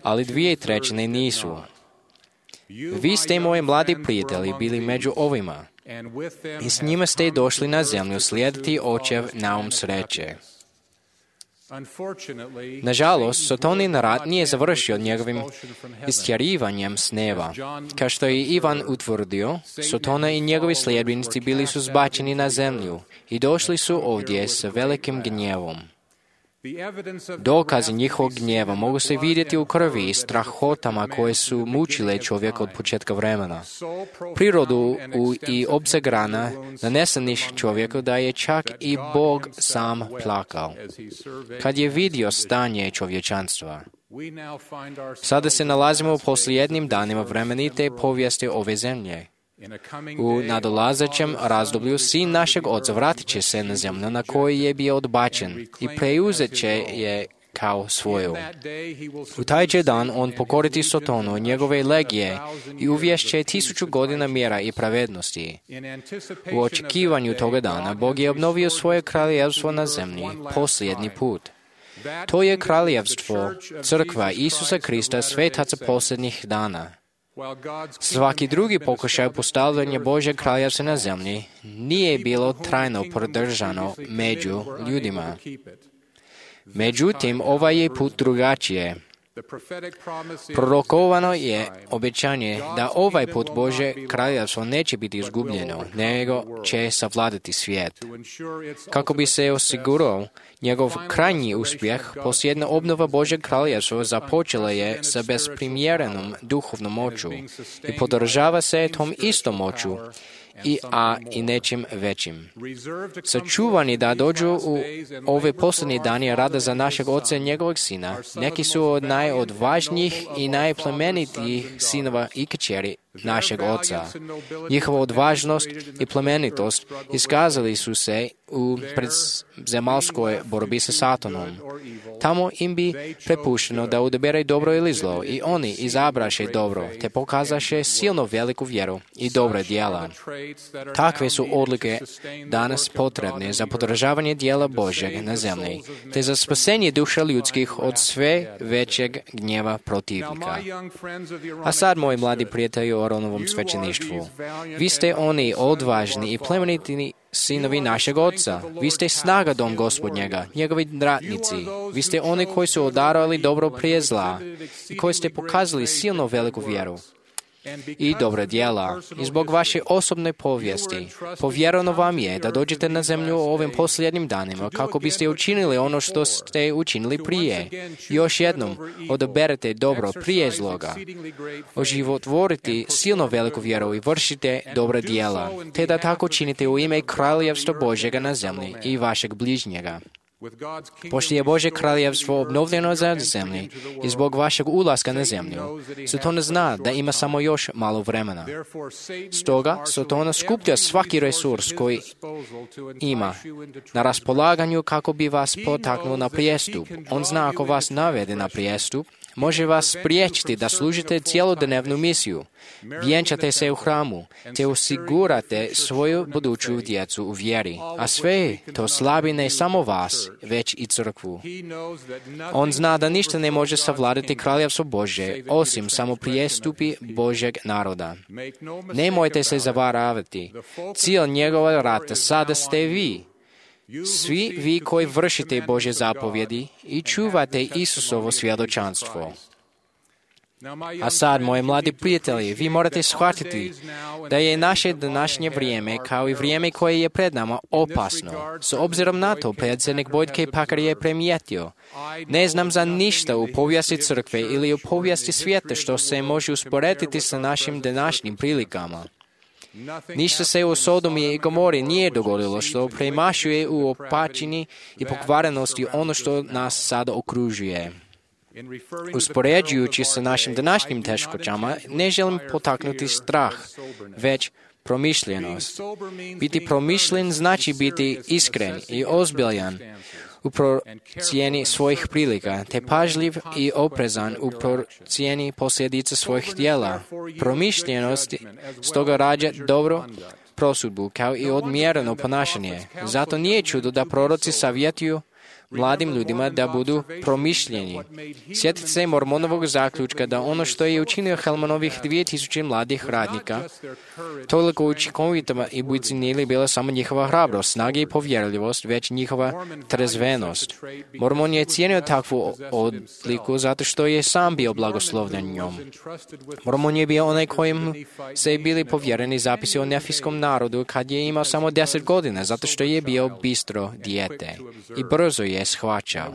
ali dvije trećine nisu. Vi ste, moji mladi prijatelji, bili među ovima i s njima ste došli na zemlju slijediti Očev naum sreće. Nažalost, Sotonin rat nije završio njegovim istjerivanjem s neba. Kao što je Ivan utvrdio, Sotona i njegovi sljedbenici bili su zbačeni na zemlju i došli su ovdje s velikim gnjevom. Dokazi njihovog gnjeva mogu se vidjeti u krvi i strahotama koje su mučile čovjeka od početka vremena. Prirodu u, i opseg rana nanesenih čovjeku da je čak i Bog sam plakao kad je vidio stanje čovječanstva. Sada se nalazimo u posljednjim danima vremenite povijesti ove zemlje. U nadolazećem razdoblju sin našeg Oca vratit će se na zemlju na kojoj je bio odbačen i preuzet će je kao svoju. U taj će dan on pokoriti Sotonu, njegove legije i uvješće tisuću godina mjera i pravednosti. U očekivanju toga dana Bog je obnovio svoje kraljevstvo na zemlji posljednji put. To je kraljevstvo, crkva Isusa Krista, svetaca posljednjih dana. Svaki drugi pokušaj postavljanja Božjeg kraljevstva na zemlji nije bilo trajno podržano među ljudima. Međutim, ovaj je put drugačije. Prorokovano je obećanje da ovaj put Božje kraljevstvo neće biti izgubljeno, nego će savladati svijet. Kako bi se osigurao njegov krajnji uspjeh, posljedna obnova Božjeg kraljevstva započela je sa besprimjerenom duhovnom moću i podržava se tom istom moću, i, a i nečim većim. Sačuvani da dođu u ove posljednje dani rada za našeg Oca i njegovog Sina, neki su od najodvažnijih i najplemenitijih sinova i kćeri našeg Oca. Njihova odvažnost i plemenitost iskazali su se u predzemaljskoj borbi sa Satanom. Tamo im bi prepušteno da odaberaju dobro ili zlo, i oni izabraše dobro, te pokazaše silno veliku vjeru i dobra djela. Takve su odlike danas potrebne za podržavanje djela Božjeg na zemlji, te za spasenje duša ljudskih od sve većeg gnjeva protivnika. A sad, moji mladi prijatelji o Aronovom svećeništvu, vi ste oni odvažni i plemeniti sinovi našeg Oca. Vi ste snaga dom Gospodnjega, njegovi ratnici. Vi ste oni koji su odarali dobro prije zla i koji ste pokazali silno veliku vjeru i dobra djela. I zbog vaše osobne povijesti, povjereno vam je da dođete na zemlju u ovim posljednjim danima kako biste učinili ono što ste učinili prije. Još jednom, odaberete dobro prije zloga. Oživotvoriti silno veliku vjeru i vršite dobra djela, te da tako činite u ime kraljevstva Božjega na zemlji i vašeg bližnjega. Pošto je Božje kraljevstvo obnovljeno za zemlji i zbog vašeg ulaska na zemlju, Satan zna da ima samo još malo vremena. Stoga Satan skuplja svaki resurs koji ima na raspolaganju kako bi vas potaknuo na prijestup. On zna ako vas navede na prijestup, može vas spriječiti da služite cjelodnevnu misiju, vjenčate se u hramu, te osigurate svoju buduću djecu u vjeri, a sve to slabi ne samo vas, već i crkvu. On zna da ništa ne može savladati kraljevstvo Božje, osim samo prijestupi Božjeg naroda. Nemojte se zavaravati, cilj njegova rata sada ste vi. Svi vi koji vršite Božje zapovjedi i čuvate Isusovo svjedočanstvo. A sad, moji mladi prijatelji, vi morate shvatiti da je naše današnje vrijeme, kao i vrijeme koje je pred nama, opasno. S obzirom na to, predsjednik Boyd K. Packer je primijetio: ne znam za ništa u povijesti crkve ili u povijesti svijeta što se može usporediti sa našim današnjim prilikama. Ništa se u Sodomi i Gomori nije dogodilo što premašuje u opačini i pokvarenosti ono što nas sada okružuje. Uspoređujući sa našim današnjim teškoćama, ne želim potaknuti strah, već promišljenost. Biti promišljen znači biti iskren i ozbiljan u procjeni svojih prilika, te pažljiv i oprezan u procjeni posljedica svojih djela. Promišljenost stoga rađa dobro prosudbu kao i odmjereno ponašanje. Zato nije čudo da proroci savjetuju mladim ljudima da budu promišljeni. Sjetite se Mormonovog zaključka da ono što je učinio Helmanovih dvije tisuće mladih radnika, toliko učinkovitama i bucinili bila samo njihova hrabrost, snage i povjerljivost, već njihova trezvenost. Mormon je cijenio takvu odliku zato što je sam bio blagoslovljen njom. Mormon je bio onaj kojim se bili povjereni zapisi o nefijskom narodu kad je imao samo deset godina, zato što je bio bistro dijete i brzo je shvaćao.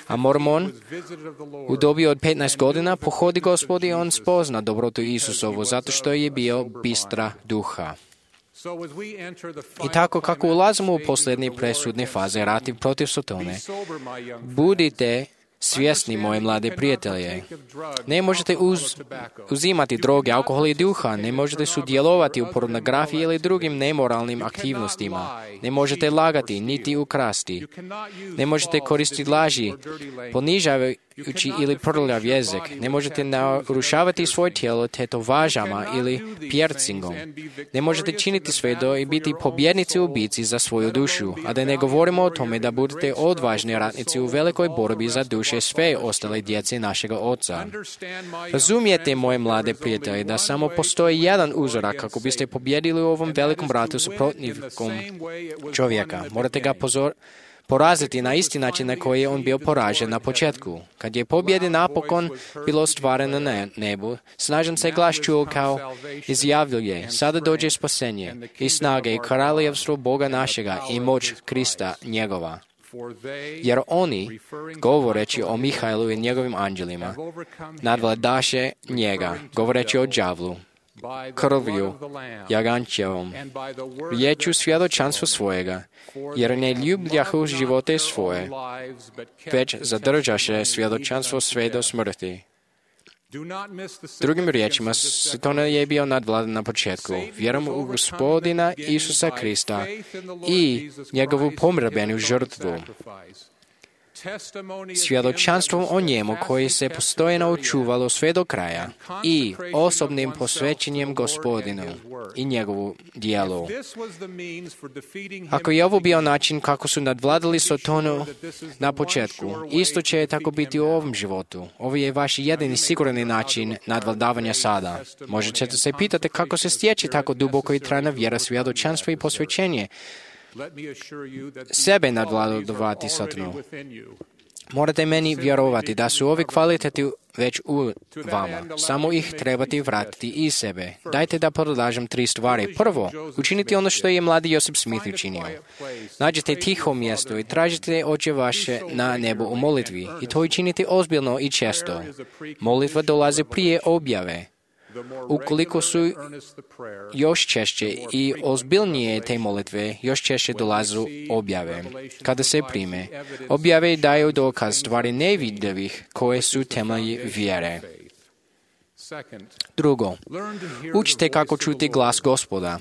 A Mormon u dobi od petnaest godina pohodi Gospod i on spozna dobrotu Isusovu zato što je bio bistra duha. I tako kako ulazimo u posljednje presudne faze rata protiv Satane, budite svjesni, moje mlade prijatelje. Ne možete uz, uzimati droge, alkohol i duha, ne možete sudjelovati u pornografiji ili drugim nemoralnim aktivnostima. Ne možete lagati, niti ukrasti. Ne možete koristiti laži, ponižavajući ili prljav jezik. Ne možete narušavati svoje tijelo tetovažama ili piercingom. Ne možete činiti sve do i biti pobjednici u bici za svoju dušu, a da ne govorimo o tome da budete odvažni ratnici u velikoj borbi za duše sve ostale djece našega Oca. Razumijete, moje mlade prijatelje, da samo postoji jedan uzorak kako biste pobjedili u ovom velikom ratu s protivnikom čovjeka. Morate ga pozor... poraziti na isti način na koji je on bio poražen na početku. Kad je pobjede napokon bilo stvareno na nebu, snažan se glas čuo kao izjavljuje, sada dođe spasenje i snage i kraljevstvo Boga našega i moć Krista njegova. Jer oni, govoreći o Mihajlu i njegovim anđelima, nadvladaše njega, govoreći o đavlu, krvju jagančevom, riječju svjedočanstva svojega, jer ne ljubljahu živote svoje, već zadržaše svjedočanstvo sve do smrti. Drugim riječima, Satan je bio nadvladan na početku. Vjerom u Gospodina Isusa Krista i njegovu pomrbenu žrtvu. Svjedočanstvom o njemu koji se postojeno očuvalo sve do kraja i osobnim posvećenjem Gospodinu i njegovu dijelu. Ako je ovo bio način kako su nadvladali Satanu na početku, isto će tako biti u ovom životu. Ovo je vaš jedini sigurni način nadvladavanja sada. Možete se pitati kako se stječe tako duboko i trajna vjera, svjedočanstvo i posvećenje. Sebe nadvladavati Satanu. Morate meni vjerovati da su ovi kvaliteti već u vama. Samo ih trebate vratiti iz sebe. Dajte da predlažem tri stvari. Prvo, učiniti ono što je mladi Josip Smith učinio. Nađite tiho mjesto i tražite Oče vaše na nebu u molitvi. I to učinite ozbiljno i često. Molitva dolazi prije objave. Ukoliko su još češće i ozbiljnije te molitve, još češće dolazu objave. Kada se prime, objave daju dokaz stvari nevidljivih koje su temelji vjere. Drugo, učite kako čuti glas Gospoda.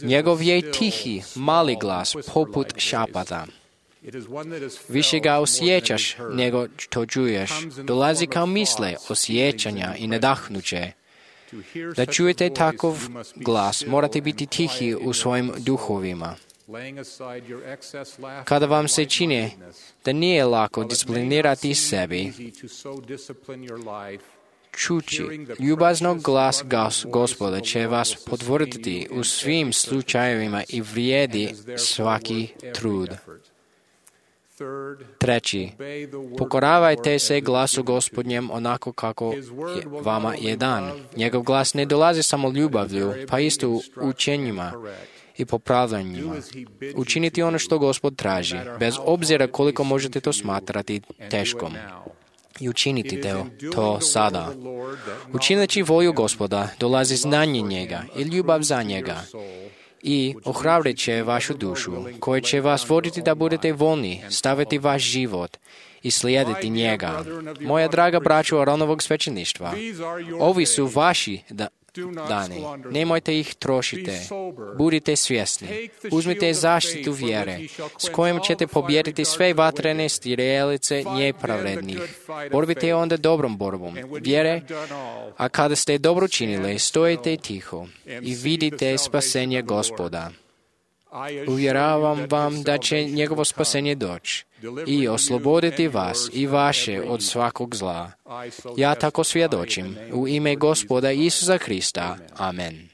Njegov je tihi, mali glas, poput šapata. Više ga osjećaš nego što čuješ. Dolazi kao misle, osjećanja i nadahnuće. Da čujete takav glas, morate biti tihi u svojim duhovima. Kada vam se čini da nije lako disciplinirati sebi, čući ljubaznog glas Gospoda će vas potvrditi u svim slučajevima i vrijedi svaki trud. Treći, pokoravajte se glasu Gospodnjem onako kako je vama je dan. Njegov glas ne dolazi samo ljubavlju, pa isto u učenjima i popravljanjima. Učiniti ono što Gospod traži, bez obzira koliko možete to smatrati teškom. I učiniti to sada. Učineći volju Gospoda, dolazi znanje njega i ljubav za njega. I ohrabrit će vašu dušu, koje će vas voditi da budete voljni, staviti vaš život i slijediti njega. Moja draga braćo Aronovog svećeništva, ovi su vaši da, dani. Nemojte ih trošite. Budite svjesni. Uzmite zaštitu vjere, s kojom ćete pobijediti sve vatrene strijelice nepravednih. Borbite onda dobrom borbom vjere, a kada ste dobro činili, stojite tiho i vidite spasenje Gospoda. Uvjeravam vam da će njegovo spasenje doći i osloboditi vas i vaše od svakog zla. Ja tako svjedočim u ime Gospoda Isusa Krista. Amen.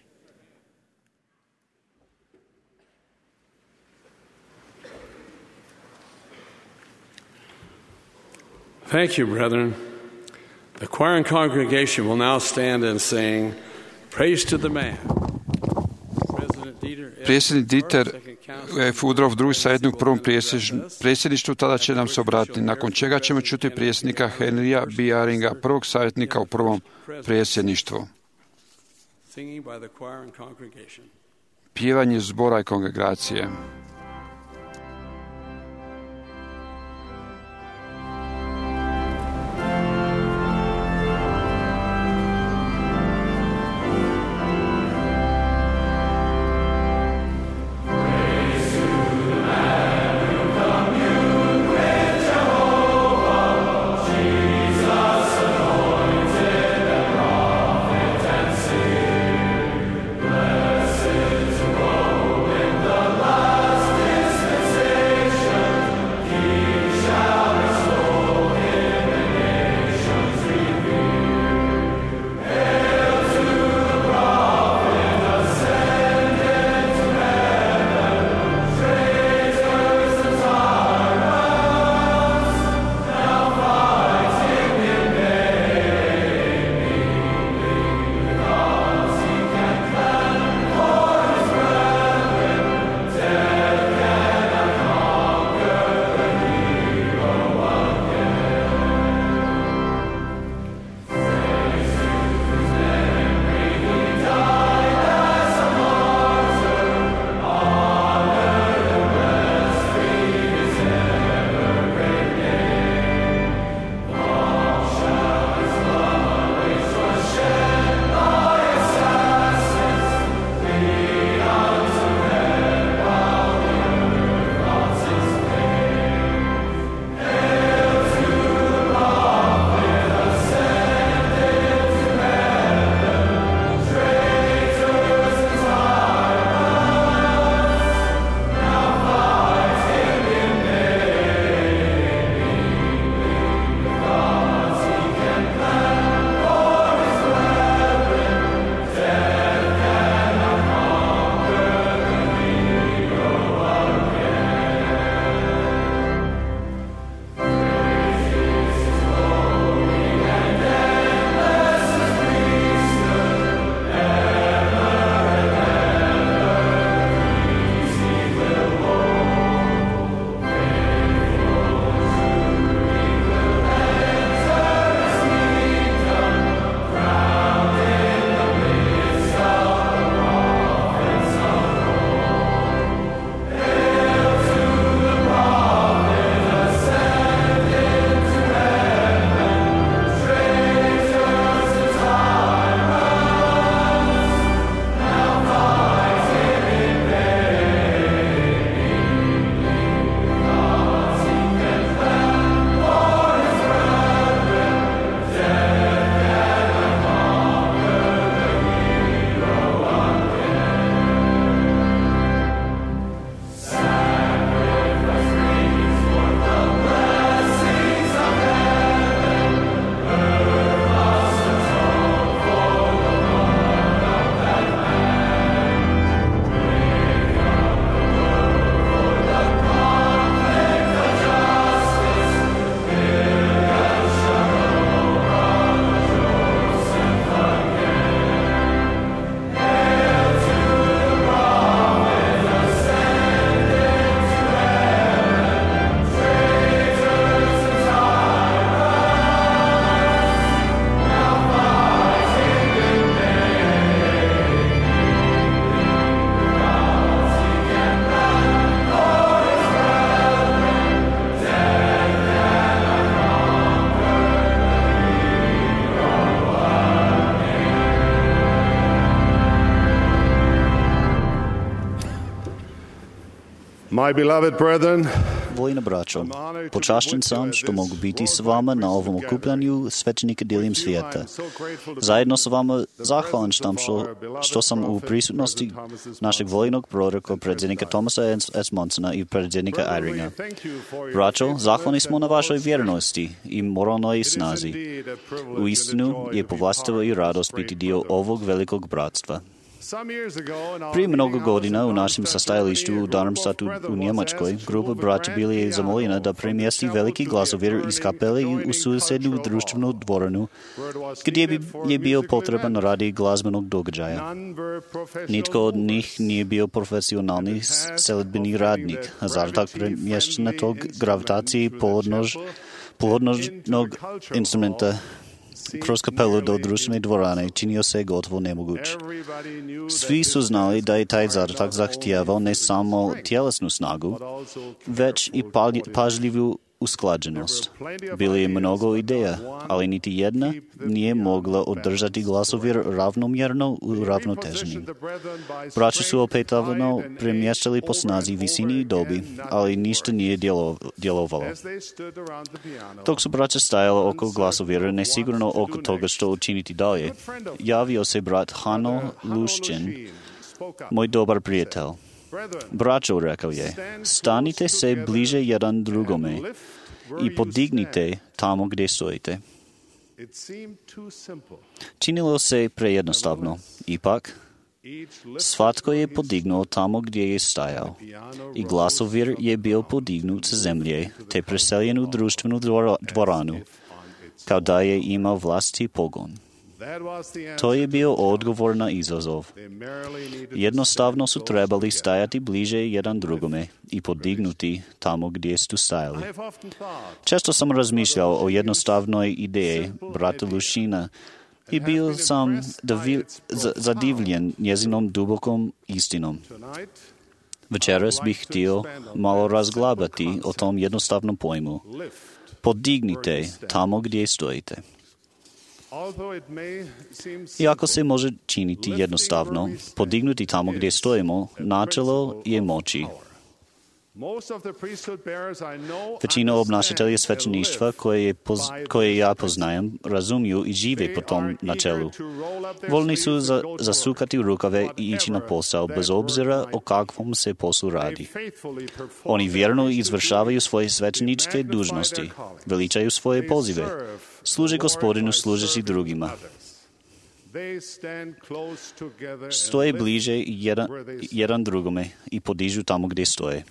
Thank you, brethren. The choir and congregation will now stand and sing Praise to the Man. Predsjednik Dieter F. Woodruff drugi savjetnik u prvom predsjedništvu tada će nam se obratiti, nakon čega ćemo čuti predsjednika Henrya B. Yaringa, prvog savjetnika u prvom predsjedništvu. Pjevanje zbora i kongregacije. My beloved brethren, Vojna braćo, počašćen sam što mogu biti s vama na ovom okupljanju svećenika diljem svijeta. Zajedno s vama zahvalan sam što, što sam u prisutnosti našeg vojnog proroka, predsjednika Thomasa S. Monsona i predsjednika Eyringa. Braćo, zahvalni smo na vašoj vjernosti i moralnoj snazi. U istinu je povlastivo i radost biti dio ovog velikog bratstva. Prije mnogo godina u našem sastajalištu u Darmstadtu u Njemačkoj grupa braća bili je zamoljena da premjesti veliki glasovir iz kapele u susjednu društvenu dvoranu gdje bi je bio potreban radi glazbenog događaja. Nitko od njih nije bio profesionalni selidbeni radnik, a zaratak premješćena tog gravitaciji polodnož, polodnožnog instrumenta kroz kapelu do društvene dvorane činio se gotovo nemoguć. Svi su znali da je taj zadatak zahtijevao ne samo tjelesnu snagu, već i pažljivu usklađenost. Bilo je mnogo ideja, ali niti jedna nije mogla održati glasovir ravnomjerno u ravnotežni. Braća su opetavano premještali po snazi, visini i dobi, ali ništa nije djelovalo. Dok su braća stajala oko glasovira, nesigurno oko toga što učiniti dalje, javio se brat Hano Lušćen, moj dobar prijatelj. Braćo, rekao je, stanite se bliže jedan drugome i podignite tamo gdje stojite. Činilo se prejednostavno. Ipak, svatko je podignuo tamo gdje je stajao i glasovir je bio podignut sa zemlje te preseljen u društvenu dvoranu, kao da je imao vlastiti pogon. To je bio odgovor na izazov. Jednostavno su trebali stajati bliže jedan drugome i podignuti tamo gdje su stajali. Često sam razmišljao o jednostavnoj ideji brata Lušina i bio sam zadivljen njezinom dubokom istinom. Večeras bih htio malo razglabati o tom jednostavnom pojmu. Podignite tamo gdje stojite. Iako se može činiti jednostavno, podignuti tamo gdje stojimo, načelo je moći. Većina obnašatelja svećeništva koje, je poz, koje ja poznajem razumiju i žive po tom načelu. Voljni su za, zasukati rukave i ići na posao, bez obzira o kakvom se poslu radi. Oni vjerno izvršavaju svoje svećeničke dužnosti, veličaju svoje pozive, služe Gospodinu služeći drugima. Stoje bliže jedan, jedan drugome i podižu tamo gdje stoje.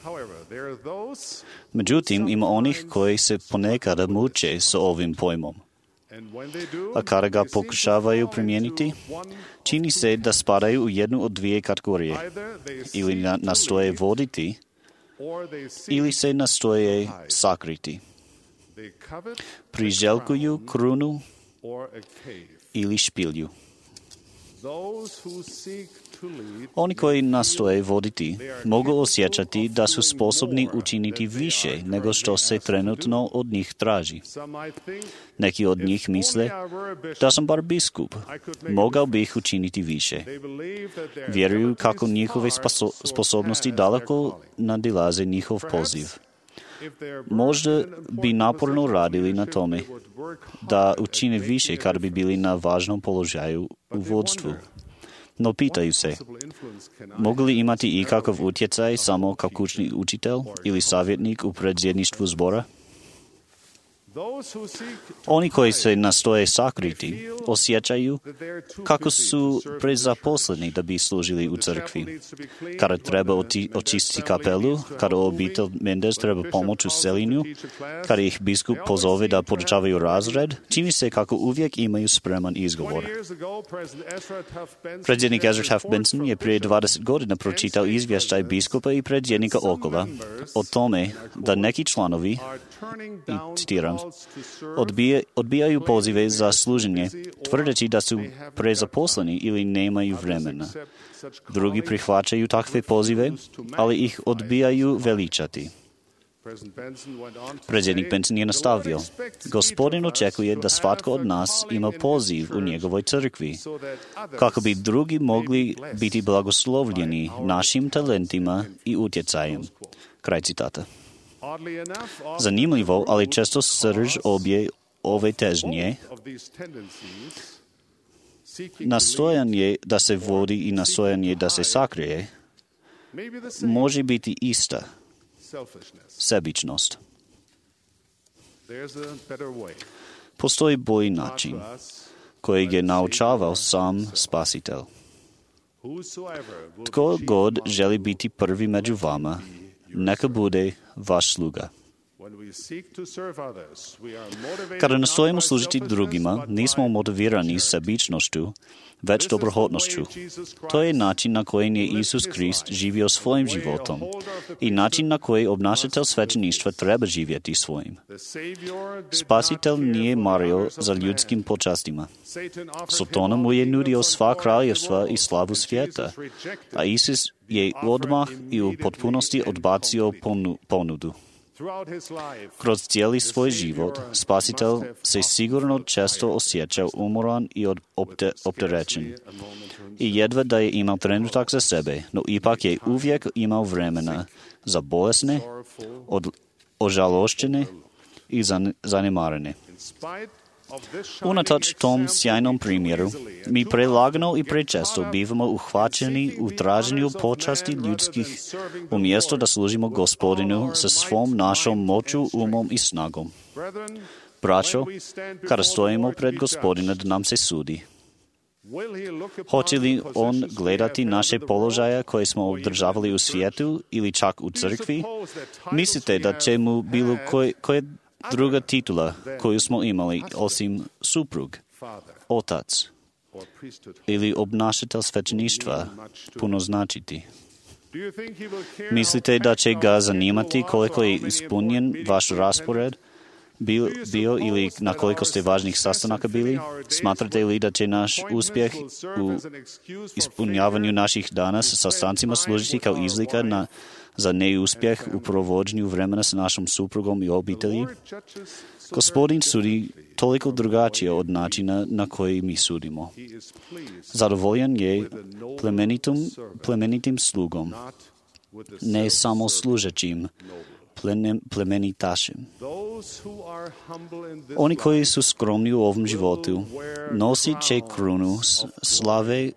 Međutim, ima onih koji se ponekada muče s ovim pojmom. A kada ga pokušavaju primijeniti, čini se da spadaju u jednu od dvije kategorije. Ili nastoje voditi, ili se nastoje sakriti. Priželjkuju krunu ili špilju. Oni koji nastoje voditi mogu osjećati da su sposobni učiniti više nego što se trenutno od njih traži. Neki od njih misle da sam bar biskup, mogao bih učiniti više. Vjeruju kako njihove sposobnosti daleko nadilaze njihov poziv. Možda bi naporno radili na tome da učine više kad bi bili na važnom položaju u vodstvu. No pitaju se, mogu li imati ikakav utjecaj samo kao kućni učitelj ili savjetnik u predsjedništvu zbora? Oni koji se nastoje sakriti osjećaju kako su prezaposleni da bi služili u crkvi. Kada treba oti- očistiti kapelu, kada obitelj Mendez treba pomoć u seljenju, kada ih biskup pozove da podučavaju razred, čini se kako uvijek imaju spreman izgovor. Predsjednik Ezra Taft Benson je prije dvadeset godina pročitao izvještaj biskupa i predsjednika Okola o tome da neki članovi, i citiram, Odbije, odbijaju pozive za služenje, tvrdeći da su prezaposleni ili nemaju vremena. Drugi prihvaćaju takve pozive, ali ih odbijaju veličati. Predsjednik Benson je nastavio, Gospodin očekuje da svatko od nas ima poziv u njegovoj crkvi, kako bi drugi mogli biti blagoslovljeni našim talentima i utjecajem. Kraj citata. Zanimljivo, ali često srž obje ove težnje, nastojanje da se vodi i nastojanje da se sakrije, može biti ista. Sebičnost. Postoji bolji način, kojeg je naučavao sam Spasitelj. Tko god želi biti prvi među vama, neka bude vaš sluga. Kada nastojimo služiti drugima, nismo motivirani sebičnošću, već dobrohotnošću. To je način na koji je Isus Krist živio svojim životom i način na koji obnašatelj svećeništva treba živjeti svojim. Spasitelj nije mario za ljudskim počastima. Sotona mu je nudio sva kraljevstva i slavu svijeta, a Isus je odmah i u potpunosti odbacio ponudu. Kroz cijeli svoj život, Spasitelj se sigurno često osjećao umoran i opterećen. I jedva da je imao trenutak za sebe, no ipak je uvijek imao vremena za bolesne, od, ožalošćene i zanemarene. Unatoč tom sjajnom primjeru, mi prelagano i prečesto bivamo uhvaćeni u traženju počasti ljudskih, umjesto da služimo Gospodinu sa svom našom moću, umom i snagom. Braćo, kada stojimo pred Gospodina da nam se sudi, hoće li On gledati naše položaje koje smo održavali u svijetu ili čak u crkvi? Mislite da će mu bilo koje, koje druga titula koju smo imali osim suprug, otac ili obnašatelj svećeništva puno značiti? Mislite da će ga zanimati koliko je ispunjen vaš raspored bio, bio ili na koliko ste važnih sastanaka bili? Smatrate li da će naš uspjeh u ispunjavanju naših dana sa sastancima služiti kao izlika na za neuspjeh u provođenju vremena s našom suprugom i obitelji? Gospodin sudi toliko drugačije od načina na koji mi sudimo. Zadovoljan je plemenitim, plemenitim slugom, ne samo služećim plemenitašem. Oni koji su skromni u ovom životu nosit će krunu slave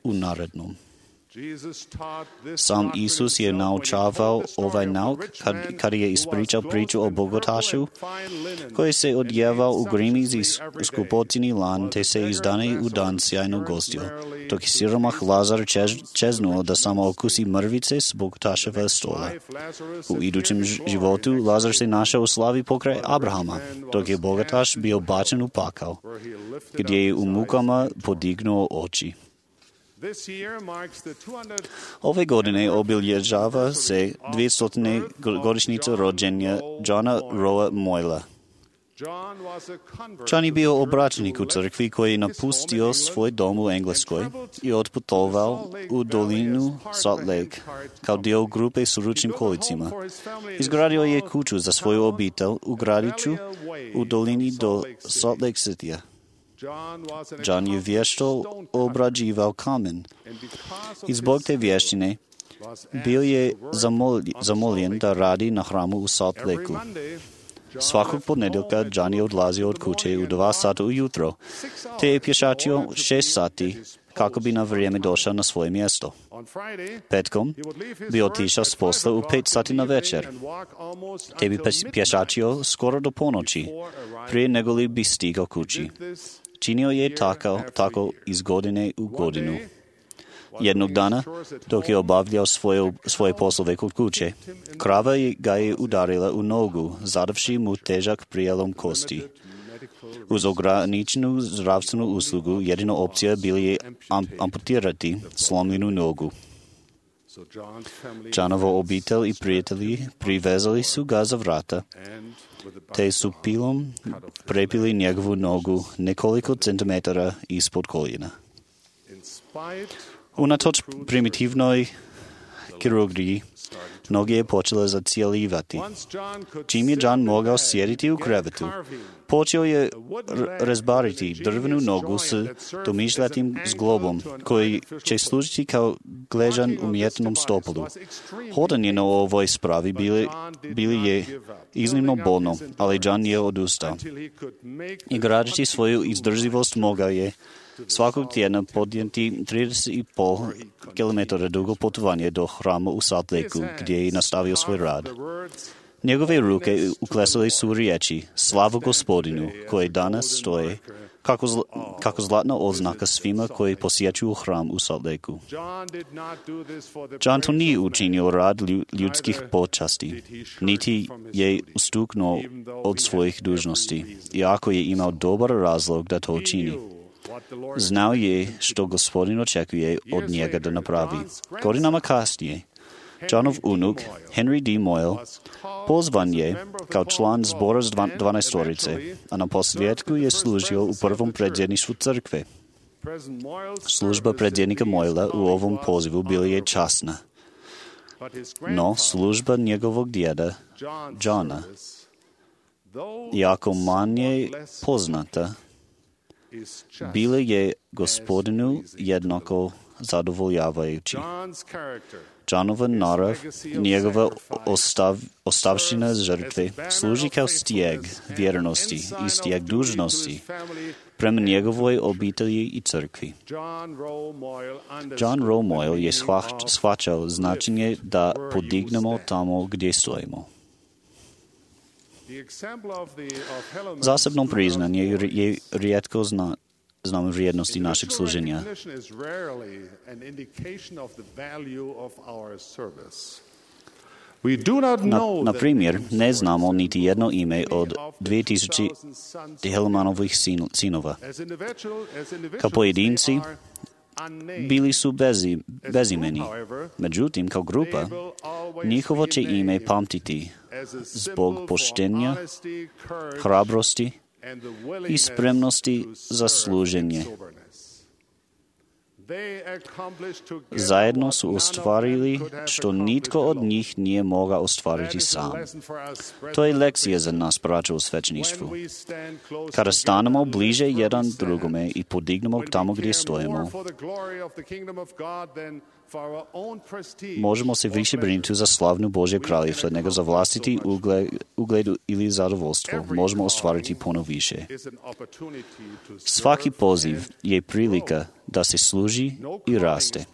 u narednom. Sam Isus je naučavao ovaj nauk kad, kad je ispričao priču o bogatašu koji se odjevao u grimizi skupocini lan te se iz dana u dan sjajno gostio, dok je siromah Lazar čez, čeznuo da samo okusi mrvice s bogataševa stola. U idućem životu Lazar se našao u slavi pokraj Abrahama, dok je bogataš bio bačen u pakao, gdje je u mukama podignuo oči. Ove godine obilježava se dvestotne godišnjica rođenja Johna Roa Moyla. John je bio obraćenik u crkvi koji je napustio svoj dom u Engleskoj i otputovao u dolinu Salt Lake kao dio grupe s ručnim kolicima. Izgradio je kuću za svoju obitelj u gradiću u dolini do Salt Lake Citya. John je vješto obrađivao kamen i zbog te vještine bio je zamoljen da radi na hramu u Salt Lakeu. Svakog ponedjeljka John je odlazio od kuće u dva sata ujutro, te je pješačio šest sati kako bi na vrijeme došao na svoje mjesto. Petkom bi otišao s posla u pet sati na večer, te bi pješačio skoro do ponoći, prije nego li bi stigao kući. Činio je tako, tako iz godine u godinu. Jednog dana, dok je obavljao svoje, svoje poslove kod kuće, krava ga je udarila u nogu, zadavši mu težak prijelom kosti. Uz ograničenu zdravstvenu uslugu, jedina opcija bila je amputirati slomljenu nogu. Johnovo obitelj i prijatelji privezali su ga za vrata, te su pilom prepili njegovu nogu nekoliko centimetara ispod koljena. Unatoč primitivnoj kirurgiji, noge je počela zacijeljivati. Čim je John mogao sjediti u krevetu, Počeo je rezbariti drvenu nogu s domišljatim zglobom, koji će služiti kao gležan umjetnom stopolu. Hodanje na ovoj spravi bili, bili je iznimno bolno, ali John je odustao. I gradeći svoju izdržljivost mogao je svakog tjedna podnijeti trideset i pol kilometara dugo putovanje do hrama u Salt Lakeu, gdje je nastavio svoj rad. Njegove ruke uklesale su riječi Slavu Gospodinu, koje danas stoje kako, zla, kako zlatna oznaka svima koji posjećuju hram u Salt Lakeu. John to nije učinio rad ljudskih počasti, niti je ustuknuo od svojih dužnosti, iako je imao dobar razlog da to učini. Znao je što Gospodin očekuje od njega da napravi. Godinama kasnije, Johnov unuk, Henry D. Moyle, pozvan je kao član zbora s dvanaestorice, a na posljedku je služio u prvom predsjedništvu crkve. Služba predsjednika Moyla u ovom pozivu bila je časna, no služba njegovog djeda, Johna, jako manje poznata, bila je Gospodinu jednako zadovoljavajući. Johnova narav, njegova ostav, ostavština žrtve, služi kao stijeg vjernosti i stijeg dužnosti prema njegovoj obitelji i crkvi. John Rowe Moyle je shvaćao značenje da podignemo tamo gdje stojimo. Zasebno priznanje je rijetko zna, znamo vrijednosti našeg služenja. Na, na primjer, ne znamo niti jedno ime od dvije tisuće Hellmanovih sin, sinova. Kao pojedinci, bili su bezi, bezimeni. Međutim, kao grupa, njihovo će ime pamtiti zbog poštenja, hrabrosti i spremnosti za služenje. Zajedno su ostvarili što nitko od njih nije mogao ostvariti sam. To je lekcija za nas, braćo u svećeništvu. Kada stanemo bliže jedan drugome i podignemo tamo gdje stojimo, možemo se više brinuti za slavnu Božje kraljevstvo nego za vlastiti ugled, ugled ili zadovoljstvo. Možemo ostvariti puno više. Svaki poziv je prilika da se služi i raste.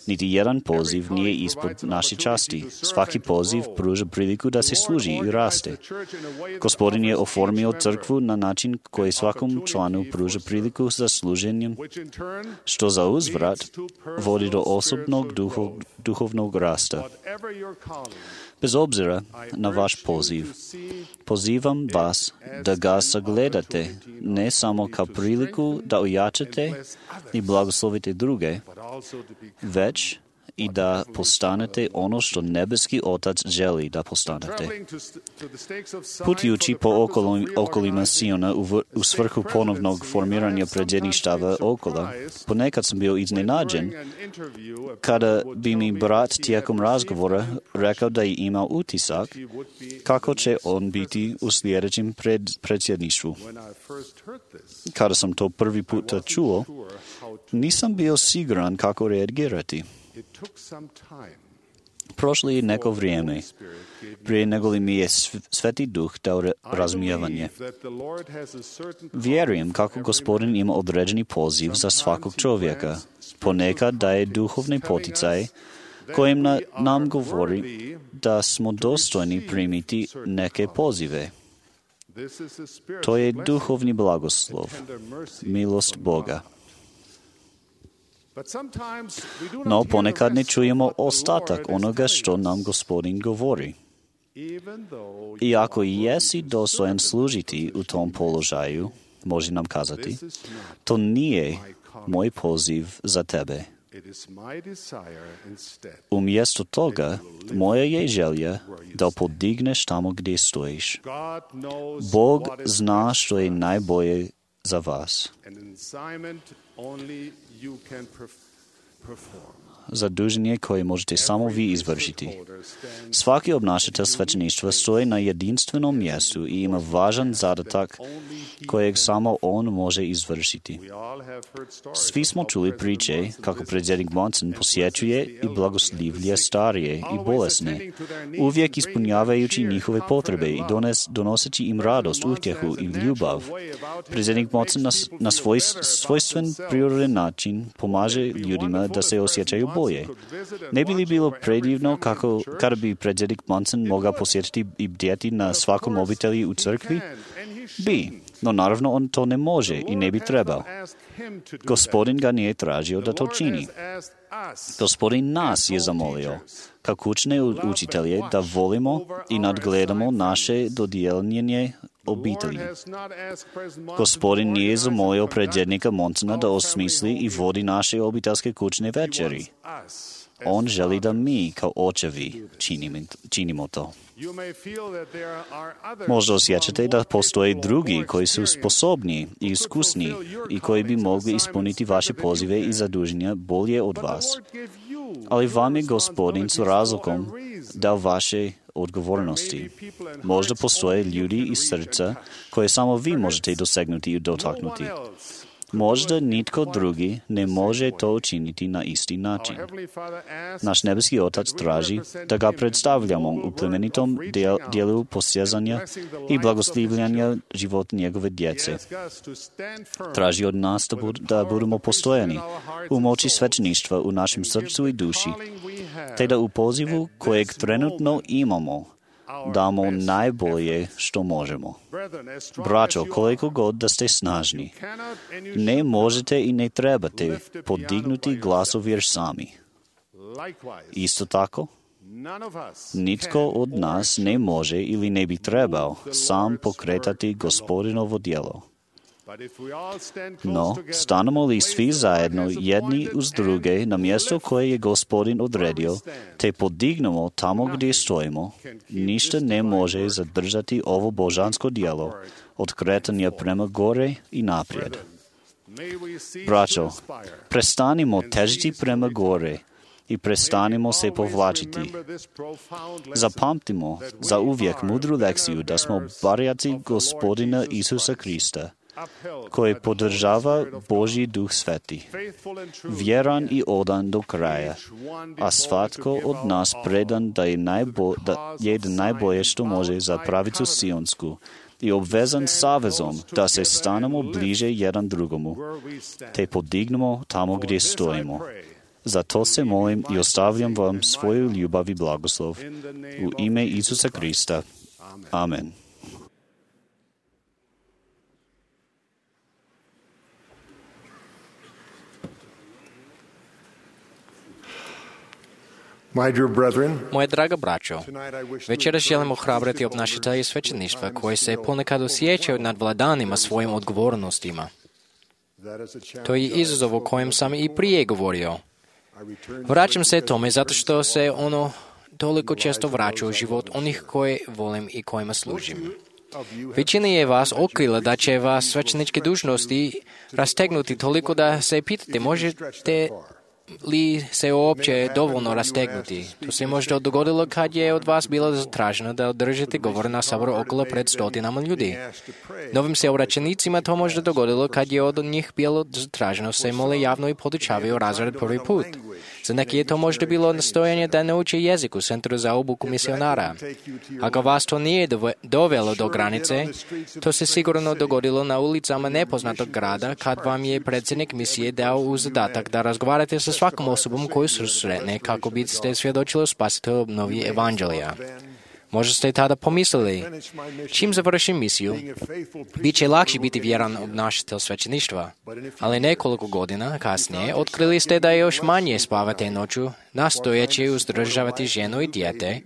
Niti jedan poziv nije ispod naše časti. Svaki poziv pruža priliku da se služi i raste. Gospodin je oformio crkvu na način koji svakom članu pruža priliku za služenjem, što za uzvrat vodi do osobnog duhov, duhovnog rasta. Bez obzira na vaš poziv, pozivam vas da ga sagledate ne samo kao priliku da ojačate i blagoslovite druge, već i da postanete ono što nebeski Otac želi da postanete. Putujući po okolima, okolima Siona u, u svrhu ponovnog formiranja predsjedništava okola, ponekad sam bio iznenađen kada bi mi brat tijekom razgovora rekao da je imao utisak kako će on biti u sljedećem pred, predsjedništvu. Kada sam to prvi puta čuo, nisam bio siguran kako reagirati. Prošlo je neko vrijeme prije nego li mi je Sveti Duh dao razumijevanje. Vjerujem kako Gospodin ima određeni poziv za svakog čovjeka. Ponekad daje duhovni poticaj kojim na, nam govori da smo dostojni primiti neke pozive. To je duhovni blagoslov, milost Boga. No ponekad ne čujemo ostatak onoga što nam Gospodin govori. Iako jesi dostojan služiti u tom položaju, može nam kazati, to nije moj poziv za tebe. Umjesto toga, moja je želja da podigneš tamo gdje stojiš. Bog zna što je najbolje za vas. zaduženje koje možete samo vi izvršiti. Svaki obnašatelj svećeništva stoji na jedinstvenom mjestu i ima važan zadatak kojeg samo on može izvršiti. Svi smo čuli priče kako predsjednik Monson posjećuje i blagoslivlje starije i bolesne, uvijek ispunjavajući njihove potrebe i dones, donoseći im radost, utjehu i ljubav. Predsjednik Monson na, na svoj svojstven prirodan način pomaže ljudima da se osjećaju bolje. Ne bi li bilo predivno kako kada bi predsjednik Monson mogao posjetiti i bdjeti na svakom obitelji u crkvi? Bi, no naravno on to ne može i ne bi trebao. Gospodin ga nije tražio da to čini. Gospodin nas je zamolio, kao kućne učitelje, da volimo i nadgledamo naše dodijeljenje obitelji. Gospodin nije zamolio predsjednika Monsona da osmisli i vodi naše obiteljske kućne večeri. On želi da mi, kao očevi, činimo, činimo to. Možda osjećate da postoje drugi koji su sposobni i iskusni i koji bi mogli ispuniti vaše pozive i zaduženja bolje od vas. Ali vam je Gospodin s razlogom dao vaše odgovornosti. Možda postoje ljudi iz srca koje samo vi možete dosegnuti i dotaknuti. Možda nitko drugi ne može to učiniti na isti način. Naš nebeski Otac traži da ga predstavljamo u plemenitom dijelu postizanja i blagoslivljanja života njegove djece. Traži od nas da, bud, da budemo postojani u moći svećeništva u našem srcu i duši, te da u pozivu kojeg trenutno imamo damo najbolje što možemo. Braćo, koliko god da ste snažni, ne možete i ne trebate podignuti glasovir sami. Isto tako, nitko od nas ne može ili ne bi trebao sam pokretati Gospodinovo djelo. No, stanemo li svi zajedno jedni uz druge na mjesto koje je Gospodin odredio, te podignemo tamo gdje stojimo, ništa ne može zadržati ovo božansko djelo od kretanja prema gore i naprijed. Braćo, prestanimo težiti prema gore i prestanimo se povlačiti. Zapamtimo za uvijek mudru lekciju da smo barjaci Gospodina Isusa Krista, koji podržava Božji Duh Sveti, vjeran i odan do kraja, a svatko od nas predan da je, najbo, da je najbolje što može za pravicu Sionsku i obvezan savezom da se stanemo bliže jedan drugomu, te podignemo tamo gdje stojimo. Zato se molim i ostavljam vam svoju ljubav i blagoslov. U ime Isusa Krista. Amen. Moje draga braćo, večeras želim ohrabriti obnašatelje svećeništva koji se ponekad osjećaju nad vladanima svojim odgovornostima. To je izazov o kojem sam i prije govorio. Vraćam se tome zato što se ono toliko često vraća u život onih koje volim i kojima služim. Većina je vas okrila da će vas svećeničke dužnosti rastegnuti toliko da se pitate možete li se uopće dovoljno rastegnuti. To se možda dogodilo kad je od vas bilo zatraženo da održite govor na saboru okolo pred stotinama ljudi. Novim se obraćenicima to možda dogodilo kad je od njih bilo zatraženo se mole javno i podučavaju razred prvi put. Za neki je to možda bilo nastojanje da nauče jezik u centru za obuku misionara. Ako vas to nije dovelo do granice, to se sigurno dogodilo na ulicama nepoznatog grada kad vam je predsjednik misije dao u zadatak da razgovarate sa svakom osobom koju susretne kako biste svjedočili o spasitelju obnovi evanđelija. Možda ste tada pomislili, čim završim misiju, bit će lakše biti vjeran obnašatelj svećeništva. Ali nekoliko godina kasnije otkrili ste da još manje spavate noću, nastojeći uzdržavati ženu i dijete,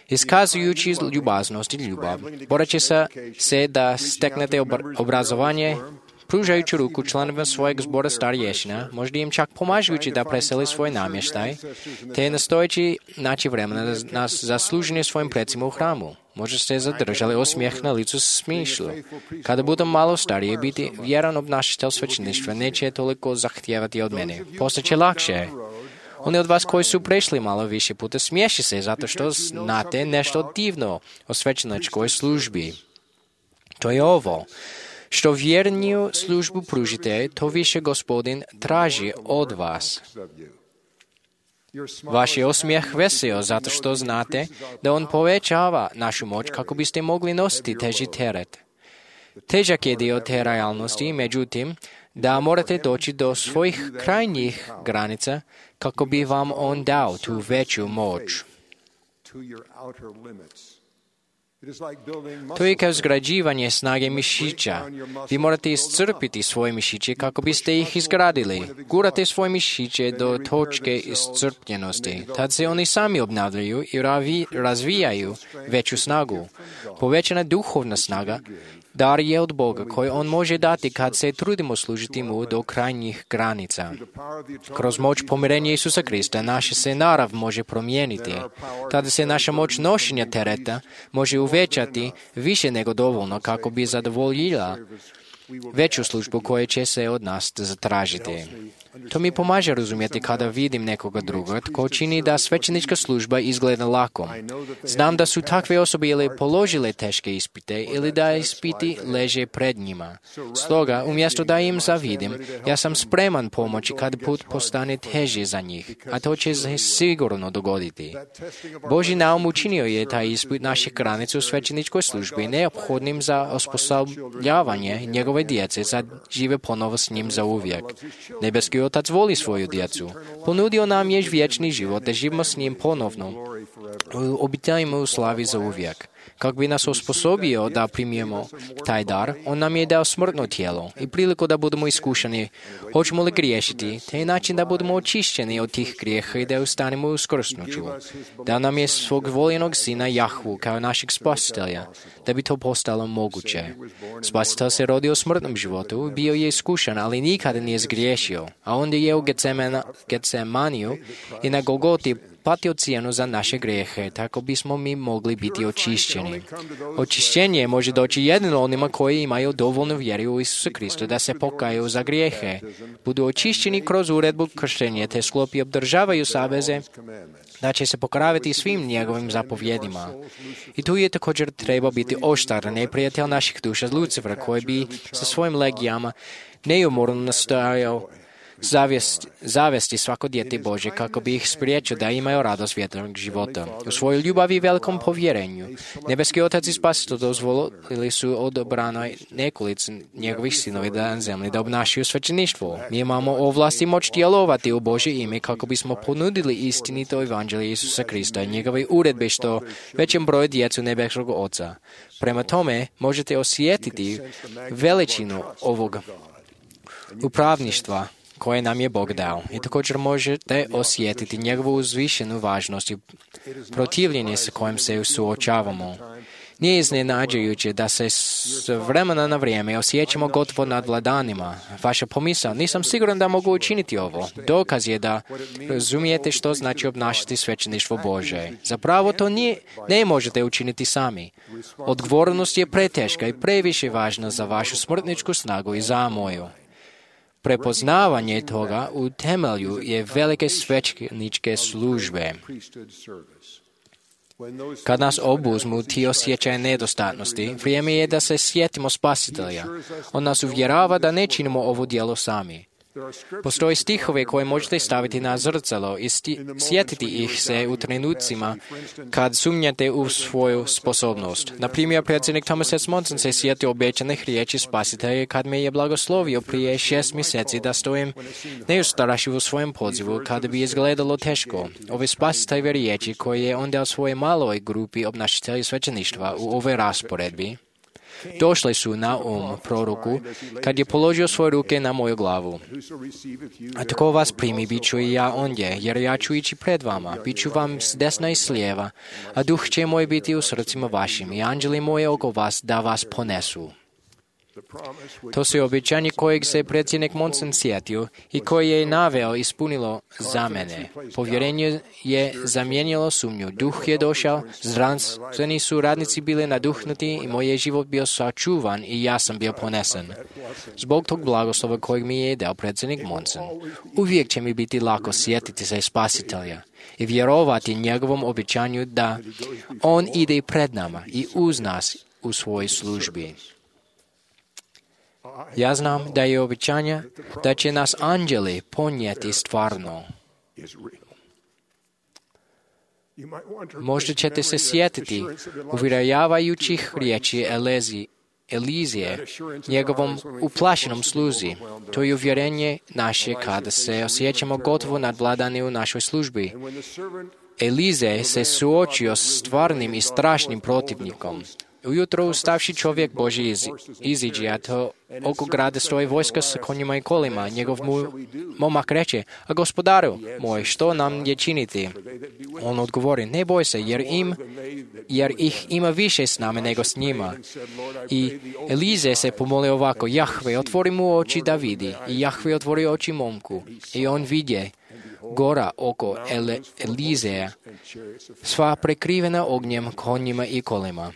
iskazujući ljubaznost i ljubav, boreći se da steknete obrazovanje, pružajući ruku članovima svojeg zbora starješina, možda im čak pomažujući da preseli svoj namještaj, te nastojeći naći vremena na zasluženje svojim precima u hramu. Možda ste zadržali osmijeh na licu smišlju. Kada budem malo starije, biti vjeran obnašatelj svećeništva neće toliko zahtijevati od mene. Postaće lakše. Oni od vas koji su prešli malo više puta smiješi se zato što znate nešto divno o svećeničkoj službi. To je ovo. Što vjerniju službu pružite, to više Gospodin traži od vas. Vaš je osmijeh veseo zato što znate da on povećava našu moć kako biste mogli nositi teži teret. Težak je dio te realnosti, međutim, da morate doći do svojih krajnjih granica kako bi vam on dao tu veću moć. To je kao izgrađivanje snage mišića. Vi morate iscrpiti svoje mišiće kako biste ih izgradili. Gurate svoje mišiće do točke iscrpljenosti. Tad se oni sami obnavljaju i razvijaju veću snagu. Povećana duhovna snaga dar je od Boga koji on može dati kad se trudimo služiti mu do krajnjih granica. Kroz moć pomirenja Isusa Krista naša se narav može promijeniti. Tada se naša moć nošenja tereta može uvećati više nego dovoljno kako bi zadovoljila veću službu koja će se od nas zatražiti. To mi pomaže razumjeti kada vidim nekoga druga tko čini da svećenička služba izgleda lako. Znam da su takve osobe ili položile teške ispite ili da ispiti leže pred njima. Stoga, umjesto da im zavidim, ja sam spreman pomoći kad put postane teži za njih, a to će se sigurno dogoditi. Božji naum učinio je taj ispit naših granica u svećeničkoj službi neophodnim za osposobljavanje njegove djece da žive ponovo s njim za uvijek. Nebeski Otac voli svoju djecu. Ponudio nam je vječni život da živimo s njim ponovno. Obitajimo u slavi za uvijek. Kako bi nas osposobio da primijemo taj dar, on nam je dao smrtno tijelo i priliku da budemo iskušani. Hoćemo li griješiti, te način da budemo očišćeni od tih grijeha i da ustanemo u skrsnuću. Dao nam je svog voljenog sina Jahvu kao našeg spasitelja, da bi to postalo moguće. Spasitelj se rodio u smrtnom životu, bio je iskušan, ali nikada nije zgriješio, a onda je u Getsemaniju i na Golgoti platio cijenu za naše grijehe, tako bismo mi mogli biti očišćeni. Očišćenje može doći jedino onima koji imaju dovoljnu vjeru u Isusa Krista da se pokaju za grijehe, budu očišćeni kroz uredbu krštenja te sklopi obdržavaju saveze, da će se pokoravati svim njegovim zapovjedima. I tu je također treba biti oštar, neprijatelj naših duša Lucifera, koji bi sa svojim legijama neumorno nastojao Zavesti, zavesti svako dijete Bože kako bi ih spriječio da imaju radost vječnog života. U svojoj ljubavi i velikom povjerenju Nebeski Otac i Spasitelj dozvolili su odobranoj nekolicini njegovih sinovi da na zemlji da obnašaju svećeništvo. Mi imamo ovlast i moć djelovati u Božje ime kako bismo ponudili istinito evanđelje Isusa Krista i njegove uredbe što većem broju djecu Nebeskog Oca. Prema tome možete osjetiti veličinu ovog upravništva koje nam je Bog dao. I također možete osjetiti njegovu uzvišenu važnost i protivljenje sa kojim se suočavamo. Nije iznenađujuće da se s vremena na vrijeme osjećamo gotovo nad vladanima. Vaša pomisao, nisam siguran da mogu učiniti ovo. Dokaz je da razumijete što znači obnašati svećeništvo Bože. Zapravo to nije, ne možete učiniti sami. Odgovornost je preteška i previše važna za vašu smrtničku snagu i za moju. Prepoznavanje toga u temelju je velike svećeničke službe. Kad nas obuzmu ti osjećaje nedostatnosti, vrijeme je da se sjetimo Spasitelja. On nas uvjerava da ne činimo ovo djelo sami. Postoje stihove koje možete staviti na zrcalo i sti- sjetiti ih se u trenucima kad sumnjate u svoju sposobnost. Na primjer, predsjednik Thomas S. Monson se sjetio obećanih riječi Spasitelja kad me je blagoslovio prije šest mjeseci da stojim neustrašiv u svojem pozivu kada bi izgledalo teško. Ove Spasiteljeve riječi koje je on dao svojoj maloj grupi obnašatelja svećeništva u ovoj rasporedbi došle su na um proroku kad je položio svoje ruke na moju glavu. A tko vas primi, bit ću i ja ondje, jer ja ću ići pred vama, bit ću vam s desna i s lijeva, a duh će moj biti u srcima vašim i anđeli moje oko vas da vas ponesu. To se obećanje kojeg se predsjednik Monson sjetio i koje je naveo ispunilo za mene. Povjerenje je zamijenilo sumnju. Duh je došao, zdravstveni su radnici bili naduhnuti i moj je život bio sačuvan i ja sam bio ponesen. Zbog tog blagoslova kojeg mi je dao predsjednik Monson, uvijek će mi biti lako sjetiti se Spasitelja i vjerovati njegovom obećanju da on ide pred nama i uz nas u svojoj službi. Ja znam da je obećanje da će nas anđeli ponijeti stvarno. Možda ćete se sjetiti uvjeravajućih riječi Elezi, Elizije, njegovom uplašenom sluzi. To je uvjerenje naše kada se osjećamo gotovo nadvladani u našoj službi. Elize se suočio s stvarnim i strašnim protivnikom. Ujutro ustavši čovjek Božji iz, iziđe, a to oko grada stoji vojska s konjima i kolima. Njegov mu, momak reče, a gospodaru moj, što nam je činiti? On odgovori, ne boj se, jer, im, jer ih ima više s nama nego s njima. I Elize se pomolio ovako, Jahve, otvori mu oči da vidi. I Jahve otvori oči momku. I on vidje gora oko Ele, Elizeja, sva prekrivena ognjem, konjima i kolima.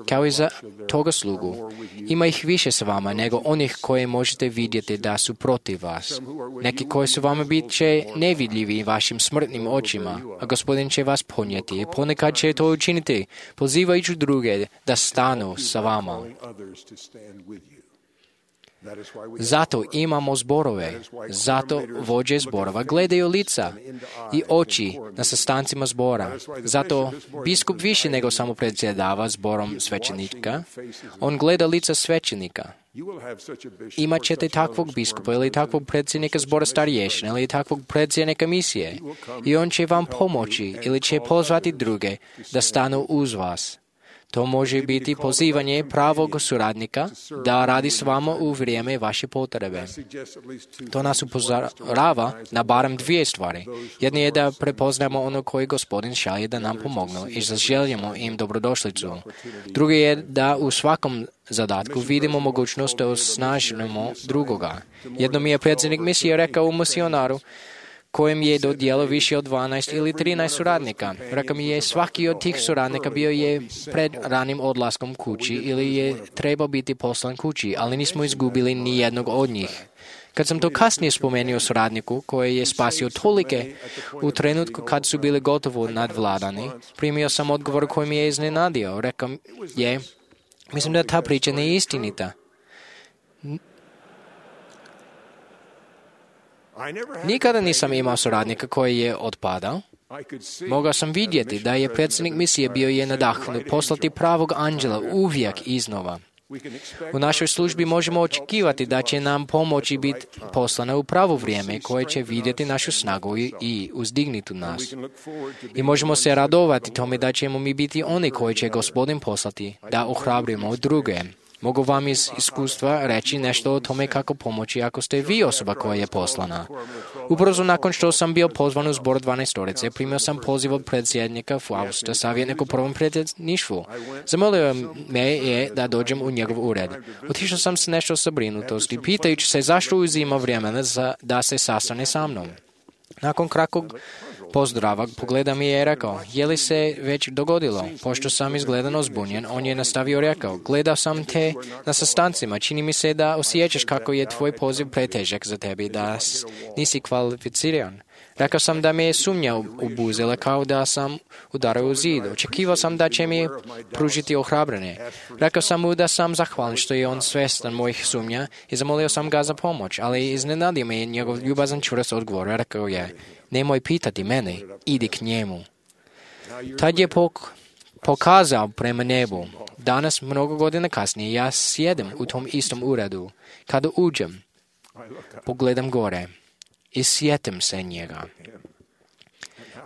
Kao i za toga slugu, ima ih više s vama nego onih koje možete vidjeti da su protiv vas. Neki koji su vama bit će nevidljivi vašim smrtnim očima, a Gospodin će vas ponijeti i ponekad će to učiniti, pozivajući druge da stanu sa vama. Zato imamo zborove, zato vođe zborova gledaju lica i oči na sastancima zbora. Zato biskup više nego samo predsjedava zborom svećenika, on gleda lica svećenika. Imat ćete takvog biskupa ili takvog predsjednika zbora starješina ili takvog predsjednika misije i on će vam pomoći ili će pozvati druge da stanu uz vas. To može biti pozivanje pravog suradnika da radi s vama u vrijeme vaše potrebe. To nas upozorava na barem dvije stvari. Jedna je da prepoznamo ono koje Gospodin šalje da nam pomognu i zaželjemo im dobrodošlicu. Druga je da u svakom zadatku vidimo mogućnost da osnažimo drugoga. Jedno mi je predsjednik misije rekao u misionaru, kojem je dodijelio više od dvanaest ili trinaest suradnika. Rekao mi je, svaki od tih suradnika bio je pred ranim odlaskom kući ili je trebao biti poslan kući, ali nismo izgubili ni jednog od njih. Kad sam to kasnije spomenuo suradniku koji je spasio tolike u trenutku kad su bili gotovo nadvladani, primio sam odgovor koji mi je iznenadio. Rekao je, mislim da ta priča nije istinita. Nikada nisam imao suradnika koji je otpadao. Mogao sam vidjeti da je predsjednik misije bio je nadahnut poslati pravog anđela uvijek iznova. U našoj službi možemo očekivati da će nam pomoći biti poslana u pravo vrijeme koje će vidjeti našu snagu i uzdignuti nas. I možemo se radovati tome da ćemo mi biti oni koji će Gospodin poslati da ohrabrimo druge. Mogu vam iz iskustva reći nešto o tome kako pomoći ako ste vi osoba koja je poslana. Ubrzo nakon što sam bio pozvan u zbor dvanaestorice, primio sam poziv od predsjednika Fausta, savjetnik u prvom predsjedništvu. Zamolio me je da dođem u njegov ured. Otišao sam s nešto sabrinutosti, pitajući se zašto uzima vremena za, da se sastane sa mnom. Nakon kratkog pozdrava pogleda mi je i rekao, je li se već dogodilo? Pošto sam izgledano zbunjen, on je nastavio rekao, gledao sam te na sastancima, čini mi se da osjećaš kako je tvoj poziv pretežak za tebi, da nisi kvalificiran. Rekao sam da me je sumnja obuzela kao da sam udarao u zid. Očekivao sam da će mi pružiti ohrabrene. Rekao sam mu da sam zahvalan što je on svjestan mojih sumnja i zamolio sam ga za pomoć, ali iznenadio me je njegov ljubazan čvrst odgovor. Rekao je, nemoj pitati mene, idi k njemu. Tad je pok- pokazao prema nebu. Danas, mnogo godina kasnije, ja sjedem u tom istom uredu. Kada uđem, pogledam gore i sjetim se njega.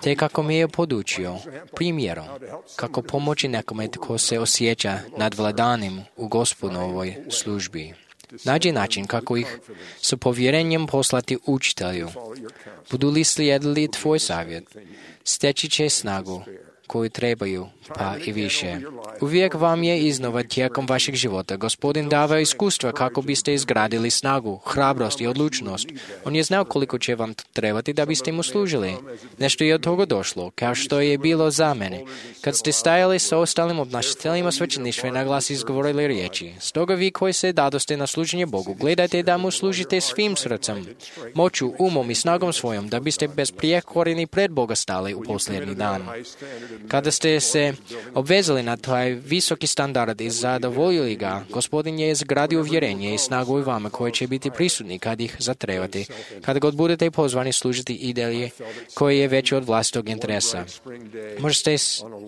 Te kako mi je podučio primjerom kako pomoći nekome tko se osjeća nadvladanim u Gospodovoj službi. Nađi način kako ih s povjerenjem poslati učitelju. Budu li slijedili tvoj savjet, steći će snagu koju trebaju, pa i više. Uvijek vam je iznova tijekom vašeg života Gospodin davao iskustva kako biste izgradili snagu, hrabrost i odlučnost. On je znao koliko će vam trebati da biste mu služili. Nešto je od toga došlo, kao što je bilo za mene. Kad ste stajali sa ostalim obnašateljima svećeništva i na glas izgovorili riječi. Stoga vi koji se dadoste na služenje Bogu, gledajte da mu služite svim srcem, moću, umom i snagom svojom, da biste besprijekorni pred Boga stali u posljednji dan. Kada ste se obvezali na taj visoki standard i zadovoljili ga, Gospodin je izgradio uvjerenje i snagu u vama koje će biti prisutni kad ih zatrebate, kada god budete pozvani služiti ideje koje je veće od vlastitog interesa. Možda ste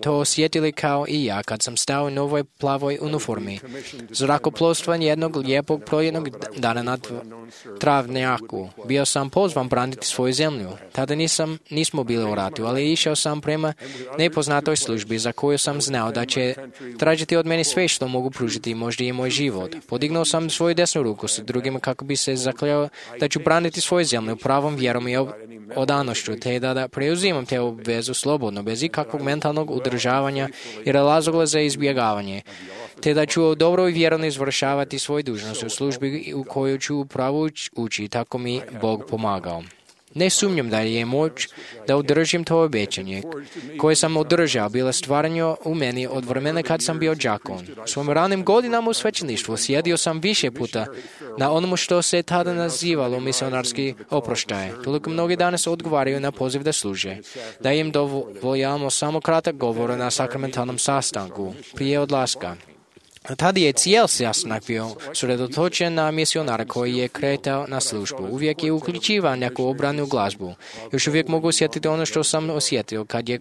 to osjetili kao i ja kad sam stao u novoj plavoj uniformi zrakoplovstva jednog lijepog proljetnog dana na travnjaku. Bio sam pozvan braniti svoju zemlju. Tada nisam, nismo bili u ratu, ali išao sam prema nepoznatoj službi za koju sam znao da će tražiti od mene sve što mogu pružiti, možda i moj život. Podignuo sam svoju desnu ruku s drugima kako bi se zakljao da ću braniti svoju zemlju pravom vjerom i odanošću, te da, da preuzimam te obvezu slobodno, bez ikakvog mentalnog udržavanja i razloga za izbjegavanje, te da ću dobro i vjerno izvršavati svoju dužnost u službi u koju ću upravo ući, tako mi Bog pomagao. Ne sumnjam da je moć da održim to obećanje koje sam održao bila stvaranje u meni od vremena kad sam bio đakon. U svojim ranim godinama u svećeništvu sjedio sam više puta na onomu što se tada nazivalo misionarski oproštaj. Toliko mnogi danas odgovaraju na poziv da služe, da im dovoljamo samo kratak govor na sakramentalnom sastanku prije odlaska. Tada je cijel sastanak bio sredotočen na misionara koji je kretao na službu. Uvijek je uključivao neku obranu glazbu. Još uvijek mogu osjetiti ono što sam osjetio kad je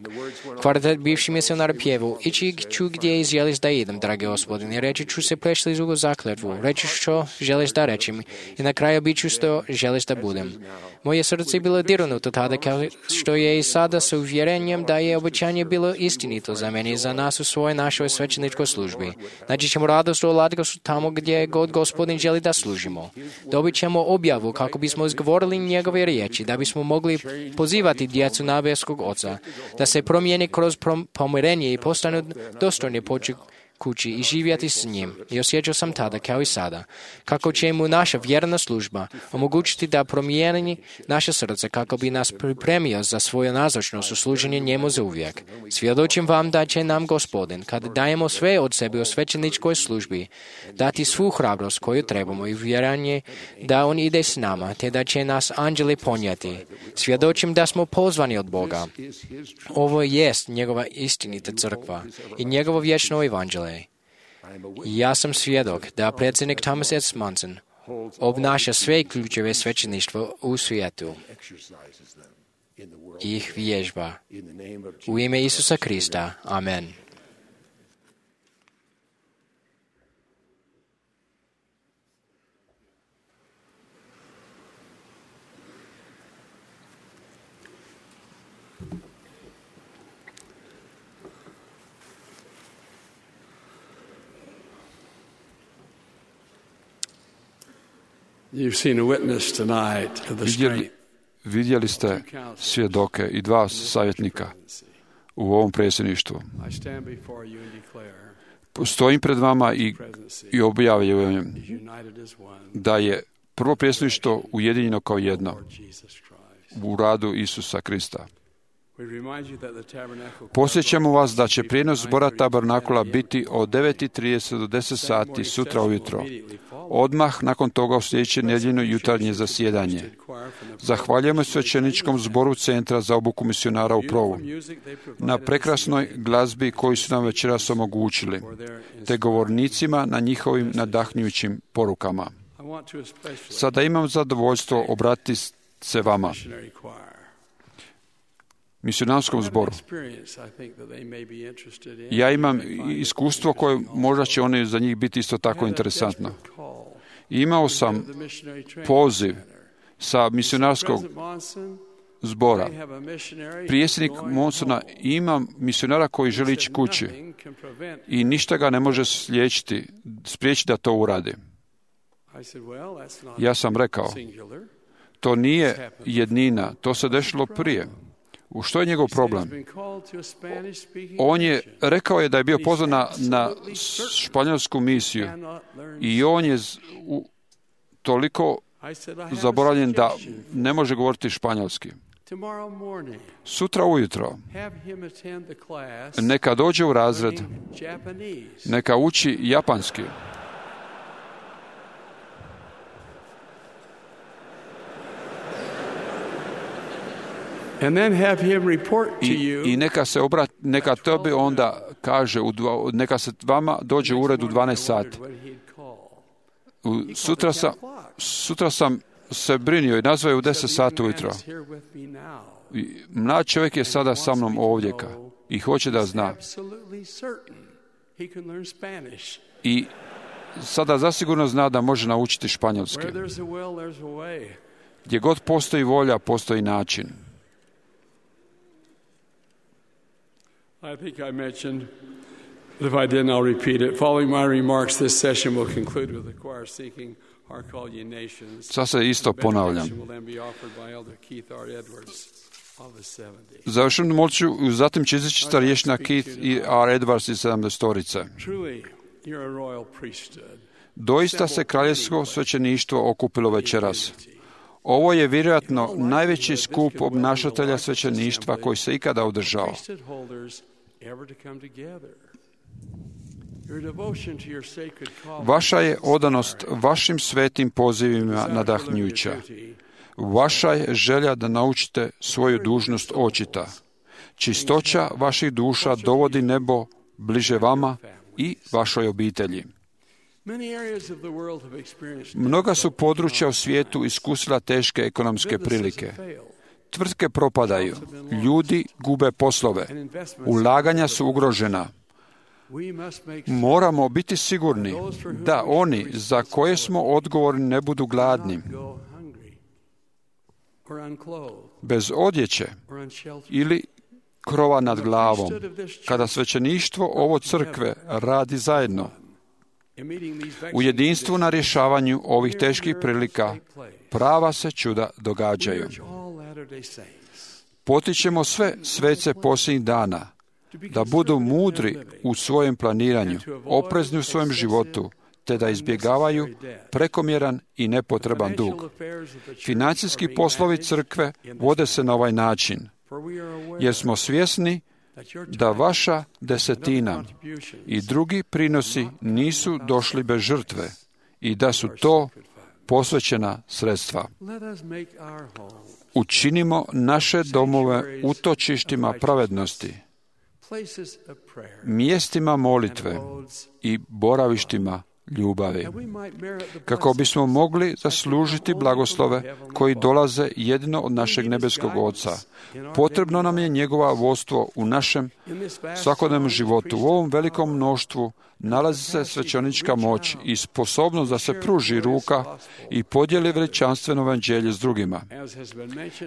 kvartet bivši misionar pjevao. Ići ću gdje želiš da idem, dragi Gospodine. Reći ću se prešli zugu zakletvu. Reći što želiš da rečim. I na kraju bit ću što želiš da budem. Moje srce je bilo dirnuto tada kao što je i sada sa uvjerenjem da je obećanje bilo istinito za mene i za nas u svojoj našoj svećeničkoj službi. Naći ćemo radost u Latgosu tamo gdje god Gospodin želi da služimo. Dobit ćemo objavu kako bismo izgovorili njegove riječi, da bismo mogli pozivati djecu nebeskog Oca, da se promijeni kroz pomirenje i postanu dostojni poći kući i živjeti s njim. I osjećao sam tada, kao i sada, kako će mu naša vjerna služba omogućiti da promijeni naše srce kako bi nas pripremio za svoju nazočnost u služenju njemu za uvijek. Svjedočim vam da će nam Gospodin, kad dajemo sve od sebe u svećeničkoj službi, dati svu hrabrost koju trebamo i vjeranje da on ide s nama, te da će nas anđeli ponijeti. Svjedočim da smo pozvani od Boga. Ovo jest njegova istinita crkva i njegovo vječno evanđelje. Ja sam svjedok da predsjednik Thomas S. Monson obnaša sve ključeve svećeništva u svijetu i ih vježba. U ime Isusa Krista. Amen. You've seen a witness tonight of the Vidjeli, vidjeli ste svjedoke i dva savjetnika u ovom predsjedništvu. Stojim pred vama i, i objavljujem da je prvo predsjedništvo ujedinjeno kao jedno u radu Isusa Krista. Posjećamo vas da će prijenos zbora Tabernakula biti od devet i trideset do deset sati sutra ujutro. Odmah nakon toga u sljedeće nedjeljno jutarnje zasjedanje. Zahvaljujemo svećeničkom zboru Centra za obuku misionara u Provu na prekrasnoj glazbi koju su nam večeras omogućili, te govornicima na njihovim nadahnjujućim porukama. Sada imam zadovoljstvo obratiti se vama, misionarskom zboru. Ja imam iskustvo koje možda će oni za njih biti isto tako interesantno. Imao sam poziv sa misionarskog zbora. Predsjednik Monsona ima misionara koji želi ići kući i ništa ga ne može sliječiti, spriječiti da to uradi. Ja sam rekao, to nije jednina, to se dešlo prije. U što je njegov problem? On je rekao je da je bio pozvan na, na španjolsku misiju i on je z, u, toliko zaboravljen da ne može govoriti španjolski. Sutra ujutro neka dođe u razred, neka uči japanski. And then have him report to you. I, i neka se obrat, neka tebi onda kaže, u dva, neka se vama dođe u ured u dvanaest sati. U, sutra, sam, sutra sam se brinio i nazvao je u deset sati ujutro. I mlad čovjek je sada sa mnom ovdje i hoće da zna. I sada zasigurno zna da može naučiti španjolski. Gdje god postoji volja, postoji način. I think I mentioned, but if I didn't, I'll repeat it. Following my remarks, this session will conclude with the choir seeking our call ye nations. Sad se isto ponavljam. Završeno molću, zatim će izaći starješina Keith i R. Edwards iz sedamdesetorice. Doista se kraljevsko svećeništvo okupilo večeras. Ovo je vjerojatno najveći skup obnašatelja svećeništva koji se ikada održao. Vaša je odanost vašim svetim pozivima nadahnjuća. Vaša je želja da naučite svoju dužnost očita. Čistoća vaših duša dovodi nebo bliže vama i vašoj obitelji. Mnoga su područja u svijetu iskusila teške ekonomske prilike. Tvrtke propadaju, ljudi gube poslove, ulaganja su ugrožena. Moramo biti sigurni da oni za koje smo odgovorni ne budu gladni, bez odjeće ili krova nad glavom. Kada svećeništvo ovo crkve radi zajedno, u jedinstvu na rješavanju ovih teških prilika, prava se čuda događaju. Potičemo sve svece posljednjih dana da budu mudri u svojem planiranju, oprezni u svojem životu, te da izbjegavaju prekomjeran i nepotreban dug. Financijski poslovi crkve vode se na ovaj način, jer smo svjesni da vaša desetina i drugi prinosi nisu došli bez žrtve i da su to posvećena sredstva. Učinimo naše domove utočištima pravednosti, mjestima molitve i boravištima ljubavi, kako bismo mogli zaslužiti blagoslove koji dolaze jedino od našeg nebeskog Oca. Potrebno nam je njegova vodstvo u našem svakodnevnom životu. U ovom velikom mnoštvu nalazi se svećenička moć i sposobnost da se pruži ruka i podijeli veličanstveno evanđelje s drugima.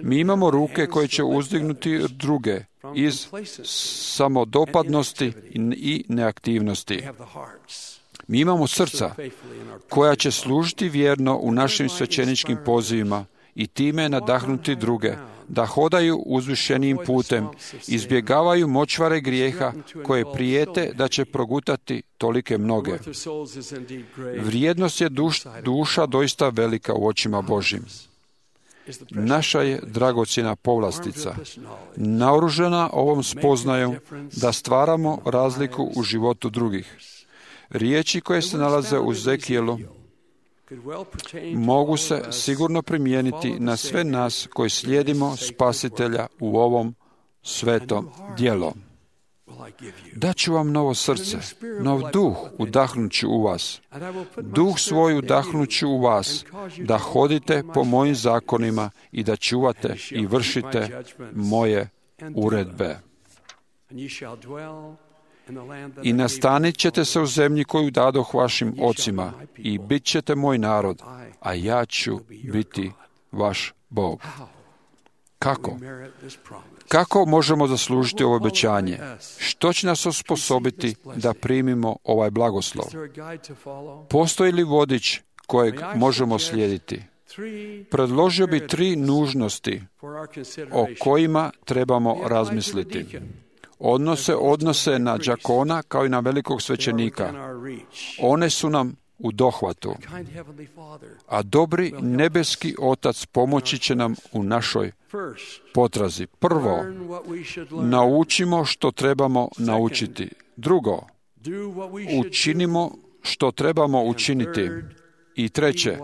Mi imamo ruke koje će uzdignuti druge iz samodopadnosti i neaktivnosti. Mi imamo srca koja će služiti vjerno u našim svećeničkim pozivima i time nadahnuti druge da hodaju uzvišenijim putem, izbjegavaju močvare grijeha koje prijete da će progutati tolike mnoge. Vrijednost je duš, duša doista velika u očima Božjim. Naša je dragocjena povlastica, naoružana ovom spoznajom da stvaramo razliku u životu drugih. Riječi koje se nalaze u Zekijelu mogu se sigurno primijeniti na sve nas koji slijedimo Spasitelja u ovom svetom djelu. Daću vam novo srce, nov duh udahnuću u vas. Duh svoj udahnuću u vas, da hodite po mojim zakonima i da čuvate i vršite moje uredbe. I nastanit ćete se u zemlji koju dadoh vašim ocima i bit ćete moj narod, a ja ću biti vaš Bog. Kako? Kako možemo zaslužiti ovo obećanje? Što će nas osposobiti da primimo ovaj blagoslov? Postoji li vodič kojeg možemo slijediti? predložio bi tri nužnosti o kojima trebamo razmisliti. Odnose odnose na đakona kao i na velikog svećenika. One su nam u dohvatu, a dobri nebeski Otac pomoći će nam u našoj potrazi. Prvo, naučimo što trebamo naučiti. Drugo, učinimo što trebamo učiniti. I treće,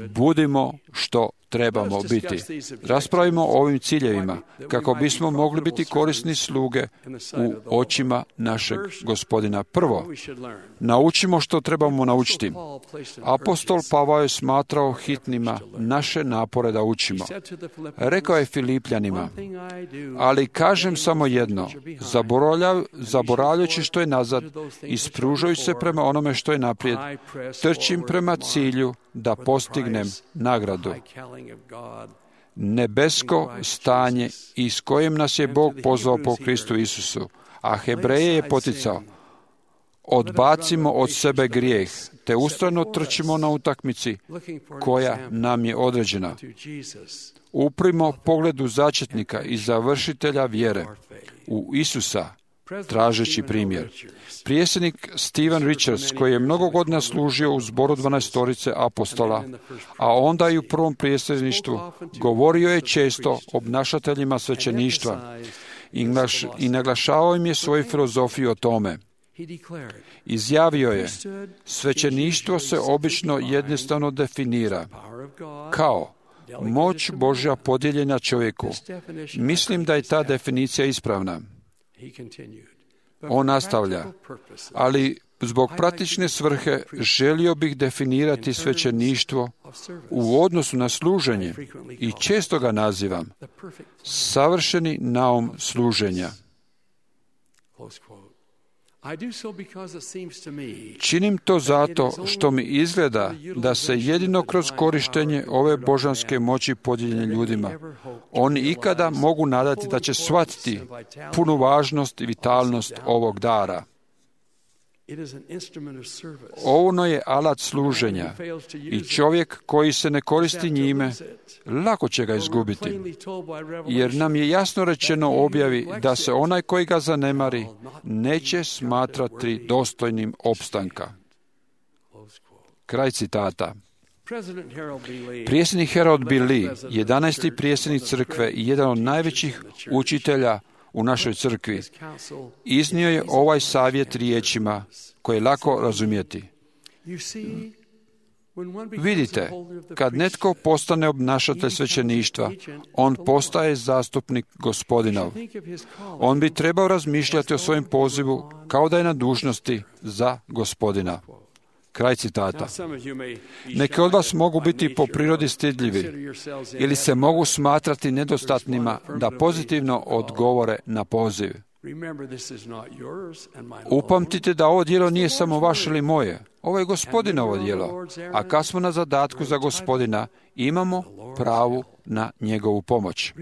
budimo što trebamo biti. Raspravimo o ovim ciljevima kako bismo mogli biti korisni sluge u očima našeg Gospodina. Prvo, naučimo što trebamo naučiti. Apostol Pavao je smatrao hitnima naše napore da učimo. Rekao je Filipljanima, ali kažem samo jedno, zaboravljajući što je nazad i spružujući se prema onome što je naprijed, trčim prema cilju da postignem nagradu. Nebesko stanje iz kojem nas je Bog pozvao po Kristu Isusu, a Hebreje je poticao. Odbacimo od sebe grijeh, te ustrajno trčimo na utakmici koja nam je određena. Uprimo pogledu začetnika i završitelja vjere u Isusa, tražeći primjer. Prijesjednik Stephen Richards, koji je mnogo godina služio u zboru dvanaestorice apostola, a onda i u prvom prijesjedništvu, govorio je često obnašateljima svećeništva i naglašavao im je svoju filozofiju o tome. Izjavio je, svećeništvo se obično jednostavno definira kao moć Božja podijeljena čovjeku. Mislim da je ta definicija ispravna. On nastavlja, ali zbog praktične svrhe želio bih definirati svećeništvo u odnosu na služenje i često ga nazivam savršeni naum služenja. Činim to zato što mi izgleda da se jedino kroz korištenje ove božanske moći podijeljene ljudima oni ikada mogu nadati da će shvatiti punu važnost i vitalnost ovog dara. Ono je alat služenja i čovjek koji se ne koristi njime, lako će ga izgubiti, jer nam je jasno rečeno u objavi da se onaj koji ga zanemari neće smatrati dostojnim opstanka. Kraj citata. Prijesjednik Harold B. Lee, jedanaesti prijesjednik crkve i jedan od najvećih učitelja u našoj crkvi, iznio je ovaj savjet riječima koje je lako razumjeti. Vidite, kad netko postane obnašatelj svećeništva, on postaje zastupnik Gospodinov. On bi trebao razmišljati o svojem pozivu kao da je na dužnosti za Gospodina. Kraj citata. Neki od vas mogu biti po prirodi stidljivi ili se mogu smatrati nedostatnima da pozitivno odgovore na poziv. Upamtite da ovo djelo nije samo vaše ili moje. Ovo je Gospodinovo djelo. A kad smo na zadatku za Gospodina, imamo pravu na njegovu pomoć.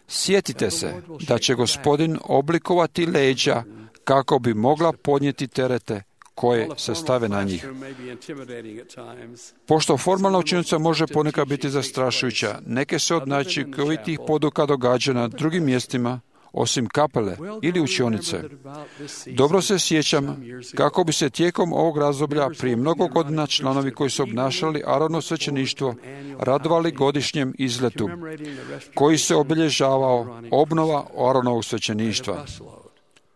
Sjetite se da će Gospodin oblikovati leđa kako bi mogla podnijeti terete koje se stave na njih. Pošto formalna učinjenica može ponekad biti zastrašujuća, neke se od najčukovitijih poduka događa na drugim mjestima, osim kapele ili učionice. Dobro se sjećam kako bi se tijekom ovog razdoblja prije mnogo godina članovi koji su obnašali Aaronovo svećeništvo radovali godišnjem izletu koji se obilježavao obnova Aaronovog svećeništva.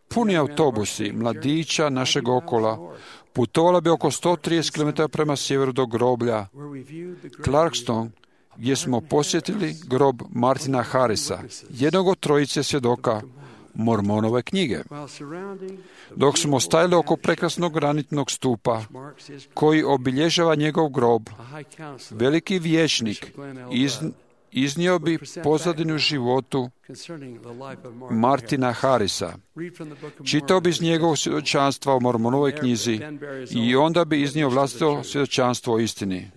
Puni autobusi mladića našeg okola putovali bi oko sto trideset kilometara prema sjeveru do groblja Clarkston, gdje smo posjetili grob Martina Harrisa, jednog od trojice svjedoka Mormonove knjige. Dok smo stajali oko prekrasnog granitnog stupa koji obilježava njegov grob, veliki vijećnik iz iznio bi pozadinu životu Martina Harrisa. Čitao bi iz njegovog svjedočanstva o Mormonovoj knjizi i onda bi iznio vlastito svjedočanstvo o istini.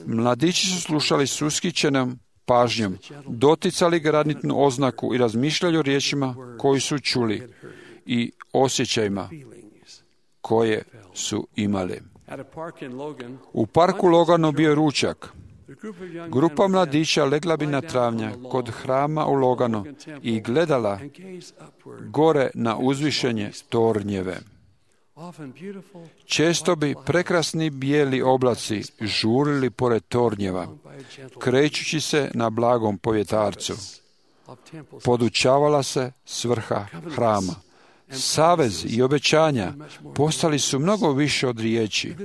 Mladići su slušali s ushićenom pažnjom, doticali granitnu oznaku i razmišljali o riječima koji su čuli i osjećajima koje su imali. U parku Loganu bio je ručak. Grupa mladića legla bi na travnjak kod hrama u Loganu i gledala gore na uzvišenje tornjeve. Često bi prekrasni bijeli oblaci žurili pored tornjeva, krećući se na blagom povjetarcu. Podučavala se svrha hrama. Savez i obećanja postali su mnogo više od riječi.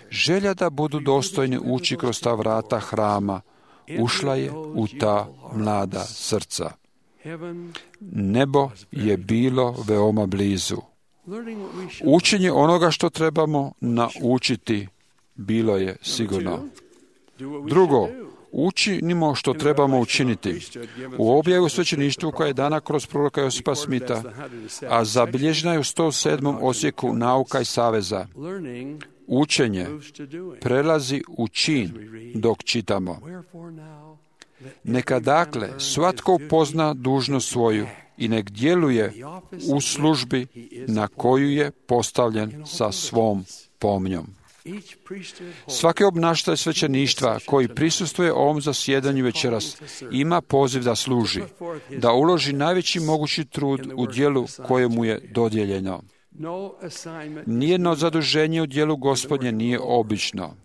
Želja da budu dostojni ući kroz ta vrata hrama ušla je u ta mlada srca. Nebo je bilo veoma blizu. Učenje onoga što trebamo naučiti bilo je sigurno. Drugo, učinimo što trebamo učiniti. U objavi u svećeništvu koja je dana kroz proroka Josipa Smita, a zabilježena je u sto sedmom osjeku nauka i saveza, učenje prelazi u čin dok čitamo. Neka dakle svatko upozna dužnost svoju i nek djeluje u službi na koju je postavljen sa svom pomnjom. Svaki obnašatelj svećeništva koji prisustvuje ovom zasjedanju večeras ima poziv da služi, da uloži najveći mogući trud u djelu koje mu je dodijeljeno. Nijedno zaduženje u djelu Gospodnje nije obično,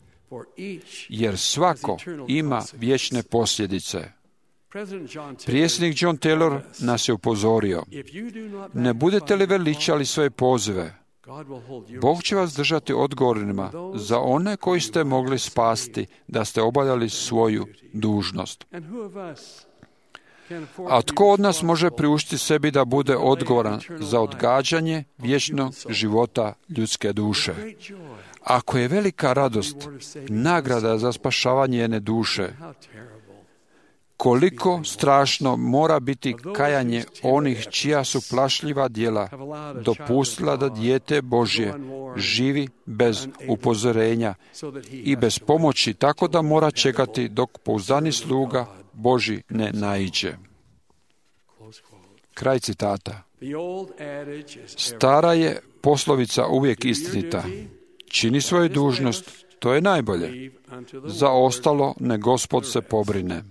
jer svako ima vječne posljedice. Prijesnik John Taylor nas je upozorio: ne budete li veličali svoje pozive, Bog će vas držati odgovornima za one koji ste mogli spasti da ste obavljali svoju dužnost. A tko od nas može priuštiti sebi da bude odgovoran za odgađanje vječnog života ljudske duše? Ako je velika radost nagrada za spašavanje jedne duše, koliko strašno mora biti kajanje onih čija su plašljiva djela dopustila da dijete Božje živi bez upozorenja i bez pomoći, tako da mora čekati dok pouzdani sluga Božji ne naiđe. Kraj citata. Stara je poslovica uvijek istinita. Čini svoju dužnost, to je najbolje. Za ostalo ne Gospod se pobrine.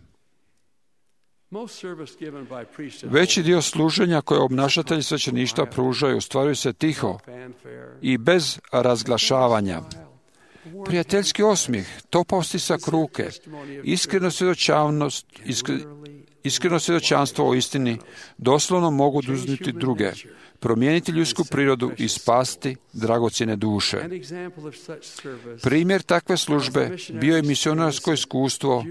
Veći dio služenja koje obnašatelji svećeništva pružaju ostvaruju se tiho i bez razglašavanja. Prijateljski osmijeh, topao stisak ruke, iskreno svjedočavnost, iskre, iskreno svjedočanstvo o istini doslovno mogu oduzeti druge, promijeniti ljudsku prirodu i spasti dragocjene duše. Primjer takve službe bio je misionarsko iskustvo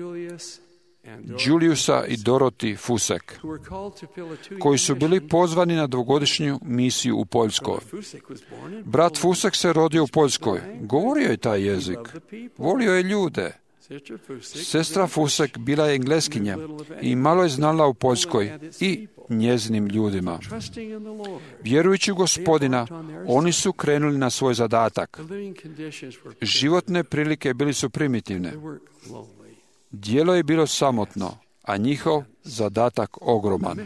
Juliusa i Dorothy Fusek, koji su bili pozvani na dvogodišnju misiju u Poljskoj. Brat Fusek se rodio u Poljskoj, govorio je taj jezik, volio je ljude. Sestra Fusek bila je Engleskinja i malo je znala u Poljskoj i njezinim ljudima. Vjerujući u Gospodina, oni su krenuli na svoj zadatak. Životne prilike bili su primitivne. Djelo je bilo samotno, a njihov zadatak ogroman.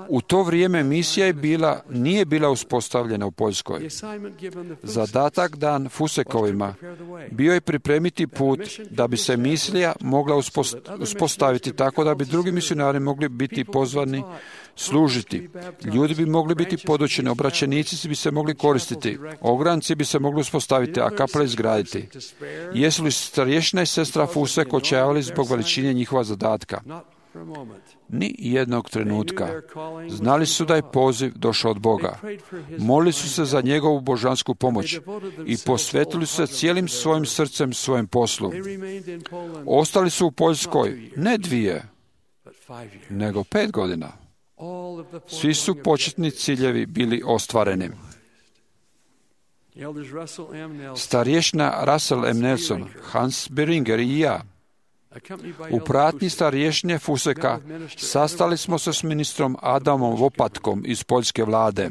U to vrijeme misija je bila, nije bila uspostavljena u Poljskoj. Zadatak dan Fusekovima bio je pripremiti put da bi se misija mogla uspostaviti tako da bi drugi misionari mogli biti pozvani služiti. Ljudi bi mogli biti podučeni, obraćenici bi se mogli koristiti, ogranci bi se mogli uspostaviti, a kapele izgraditi. Jesu li starješina i sestra Fusek očajavali zbog veličine njihova zadatka? Ni jednog trenutka. Znali su da je poziv došao od Boga. Molili su se za njegovu božansku pomoć i posvetili su se cijelim svojim srcem svojem poslu. Ostali su u Poljskoj ne dvije, nego pet godina. Svi su početni ciljevi bili ostvareni. Starješna Russell M. Nelson, Hans Beringer i ja, u pratnji starješne Fuseka sastali smo se s ministrom Adamom Vopatkom iz poljske vlade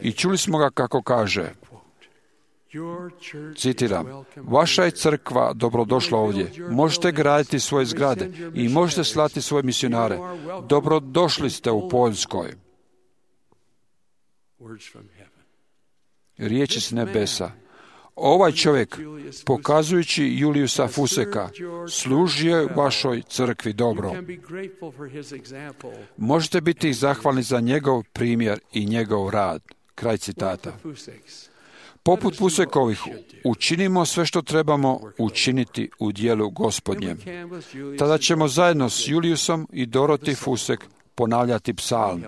i čuli smo ga kako kaže, citiram, vaša je crkva dobrodošla ovdje, možete graditi svoje zgrade i možete slati svoje misionare. Dobrodošli ste u Poljskoj. Riječi s nebesa. ovaj čovjek, pokazujući Juliusa Fuseka, služio je vašoj crkvi dobro. Možete biti zahvalni za njegov primjer i njegov rad. Kraj citata. Poput Fusekovih, učinimo sve što trebamo učiniti u dijelu Gospodnjem. Tada ćemo zajedno s Juliusom i Doroti Fusek ponavljati psalm.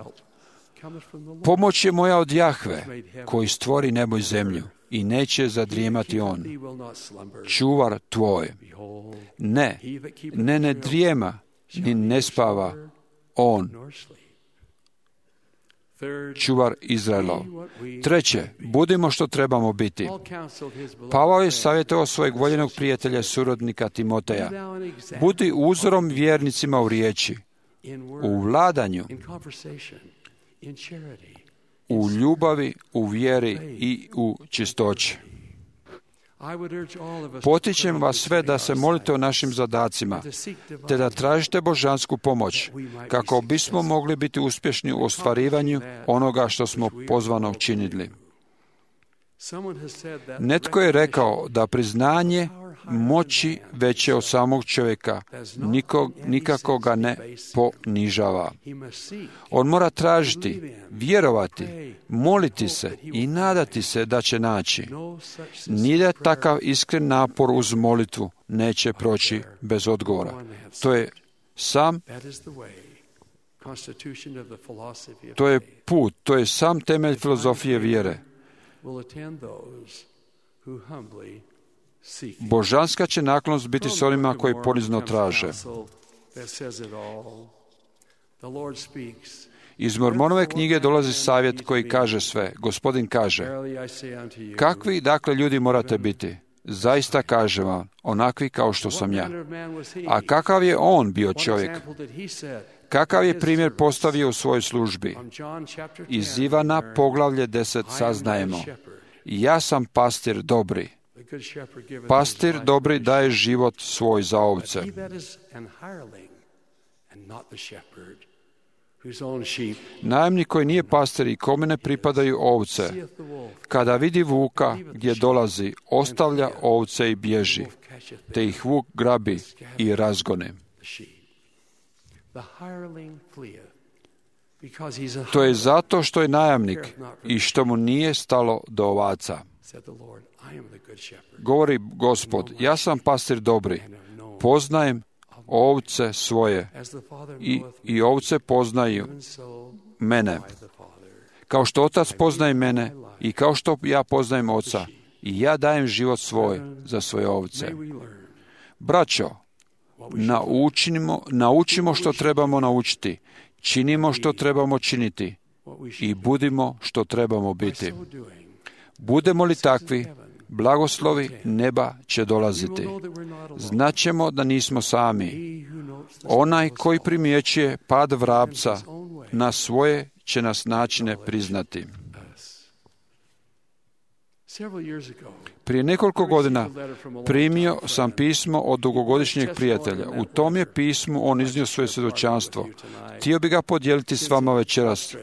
Pomoć je moja od Jahve, koji stvori nebo i zemlju, i neće zadrijemati on. Čuvar tvoj. Ne, ne ne drijema, ni ne spava on. Čuvar Izraelov. Treće, budimo što trebamo biti. Pavao je savjetovao svojeg voljenog prijatelja, surodnika Timoteja. Budi uzorom vjernicima u riječi, u vladanju, u ljubavi, u vjeri i u čistoći. Potičem vas sve da se molite o našim zadacima, te da tražite božansku pomoć, kako bismo mogli biti uspješni u ostvarivanju onoga što smo pozvano činili. Netko je rekao da priznanje moći veće od samog čovjeka nikog, nikako ga ne ponižava. On mora tražiti, vjerovati, moliti se i nadati se da će naći. Nije takav iskren napor uz molitvu neće proći bez odgovora. To je sam to je put, to je sam temelj filozofije vjere. Božanska će naklonost biti s onima koji ponizno traže. Iz Mormonove knjige dolazi savjet koji kaže sve. Gospodin kaže, kakvi dakle ljudi morate biti? Zaista kažem vam, onakvi kao što sam ja. A kakav je on bio čovjek? Kakav je primjer postavio u svojoj službi? Iz Ivana poglavlje deset saznajemo. Ja sam pastir dobri. Pastir dobri daje život svoj za ovce. Najemnik koji nije pastir i kome ne pripadaju ovce, kada vidi vuka gdje dolazi, ostavlja ovce i bježi, te ih vuk grabi i razgone. To je zato što je najamnik i što mu nije stalo do ovaca. Govori Gospod, ja sam pastir dobri, poznajem ovce svoje i, i ovce poznaju mene. Kao što otac poznaje mene i kao što ja poznajem oca, i ja dajem život svoj za svoje ovce. Braćo, naučimo, naučimo što trebamo naučiti, činimo što trebamo činiti i budimo što trebamo biti. Budemo li takvi, blagoslovi neba će dolaziti. Znaćemo da nismo sami. Onaj koji primjećuje pad vrapca na svoje će nas načine priznati. Prije nekoliko godina primio sam pismo od dugogodišnjeg prijatelja. U tom je pismu on iznio svoje svjedočanstvo. Htio bi ga podijeliti s vama večeras.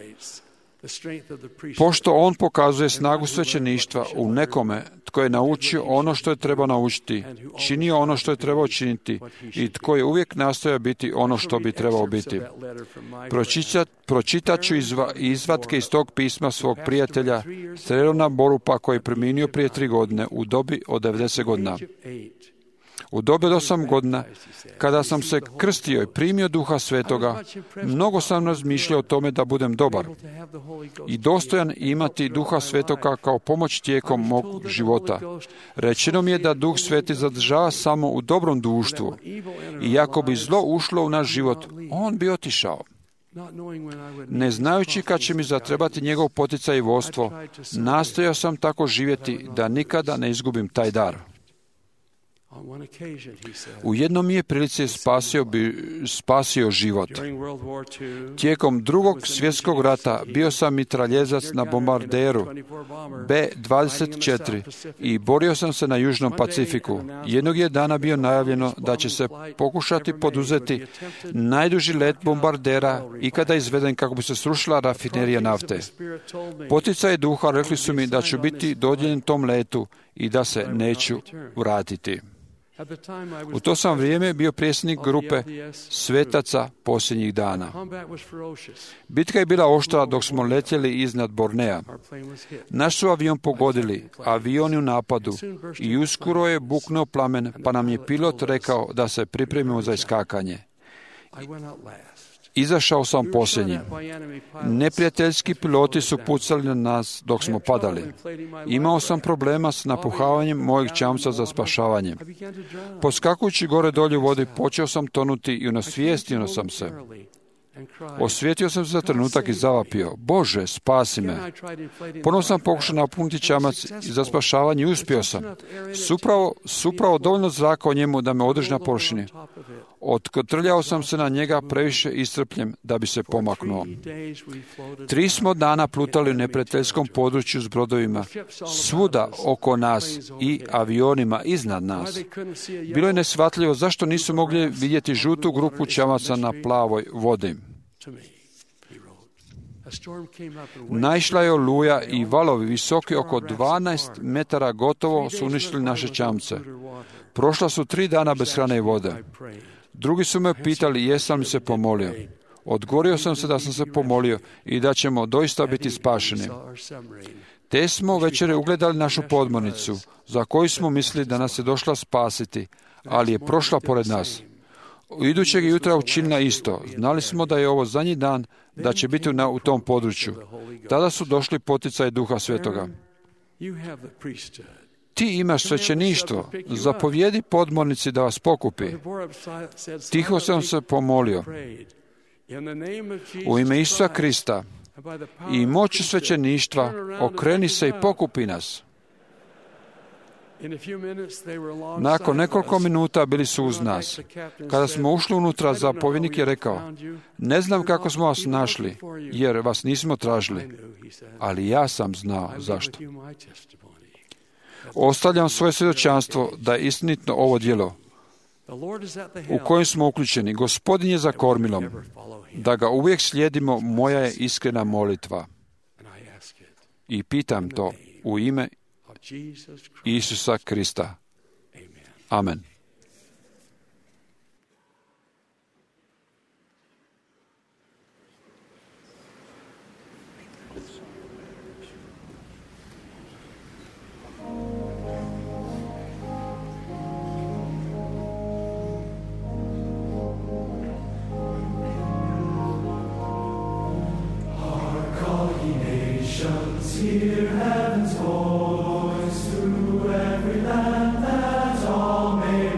Pošto on pokazuje snagu svećeništva u nekome tko je naučio ono što je trebao naučiti, činio ono što je trebao činiti i tko je uvijek nastojao biti ono što bi trebao biti. Pročitat, pročitat ću izva, izvatke iz tog pisma svog prijatelja Strelona Borupa koji je preminio prije tri godine u dobi od devedeset godina. U dobi od osam godina, kada sam se krstio i primio Duha Svetoga, mnogo sam razmišljao o tome da budem dobar i dostojan imati Duha Svetoga kao pomoć tijekom mog života. Rečeno mi je da Duh Sveti zadržava samo u dobrom društvu i ako bi zlo ušlo u naš život, on bi otišao. Ne znajući kad će mi zatrebati njegov poticaj i vodstvo, nastojao sam tako živjeti da nikada ne izgubim taj dar. U jednom je prilici spasio, bi, spasio život. Tijekom drugog svjetskog rata bio sam mitraljezac na bombarderu B dvadeset četiri i borio sam se na Južnom Pacifiku. Jednog je dana bio najavljeno da će se pokušati poduzeti najduži let bombardera ikada izveden kako bi se srušila rafinerija nafte. Poticaji duha rekli su mi da ću biti dodijeljen tom letu i da se neću vratiti. U to sam vrijeme bio predsjednik grupe svetaca posljednjih dana. Bitka je bila oštra dok smo letjeli iznad Bornea. Naš su avion pogodili, avioni u napadu i uskoro je buknuo plamen, pa nam je pilot rekao da se pripremimo za iskakanje. Izašao sam posljednji. Neprijateljski piloti su pucali na nas dok smo padali. Imao sam problema s napuhavanjem mojeg čamca za spašavanje. Poskakujući gore dolje u vodi, počeo sam tonuti i unasvijestio sam se. Osvijetio sam se za trenutak i zavapio. Bože, spasi me. Ponovno sam pokušao napuniti čamac i za spašavanje i uspio sam. Supravo, supravo dovoljno zraka o njemu da me održi na površini. Otkotrljao sam se na njega previše iscrpljen da bi se pomaknuo. Tri smo dana plutali u neprijateljskom području s brodovima, svuda oko nas i avionima iznad nas. Bilo je neshvatljivo zašto nisu mogli vidjeti žutu grupu čamaca na plavoj vodi. Naišla je oluja i valovi visoki oko dvanaest metara gotovo su uništili naše čamce. Prošla su tri dana bez hrane i vode. Drugi su me pitali jesam li se pomolio. Odgovorio sam se da sam se pomolio i da ćemo doista biti spašeni. Te smo večere ugledali našu podmornicu, za koju smo mislili da nas je došla spasiti, ali je prošla pored nas. U idućeg jutra učinila isto. Znali smo da je ovo zadnji dan, da će biti na, u tom području. Tada su došli poticaji Duha Svetoga. Ti imaš svećeništvo, zapovjedi podmornici da vas pokupi. Tiho sam se pomolio. U ime Isusa Krista i moći svećeništva okreni se i pokupi nas. Nakon nekoliko minuta bili su uz nas. Kada smo ušli unutra, zapovjednik je rekao, ne znam kako smo vas našli, jer vas nismo tražili, ali ja sam znao zašto. Ostavljam svoje svjedočanstvo da je istinito ovo djelo u kojem smo uključeni. Gospodin je za kormilom. Da ga uvijek slijedimo, moja je iskrena molitva. I pitam to u ime Isusa Krista. Amen. Hear heaven's voice through every land, that all may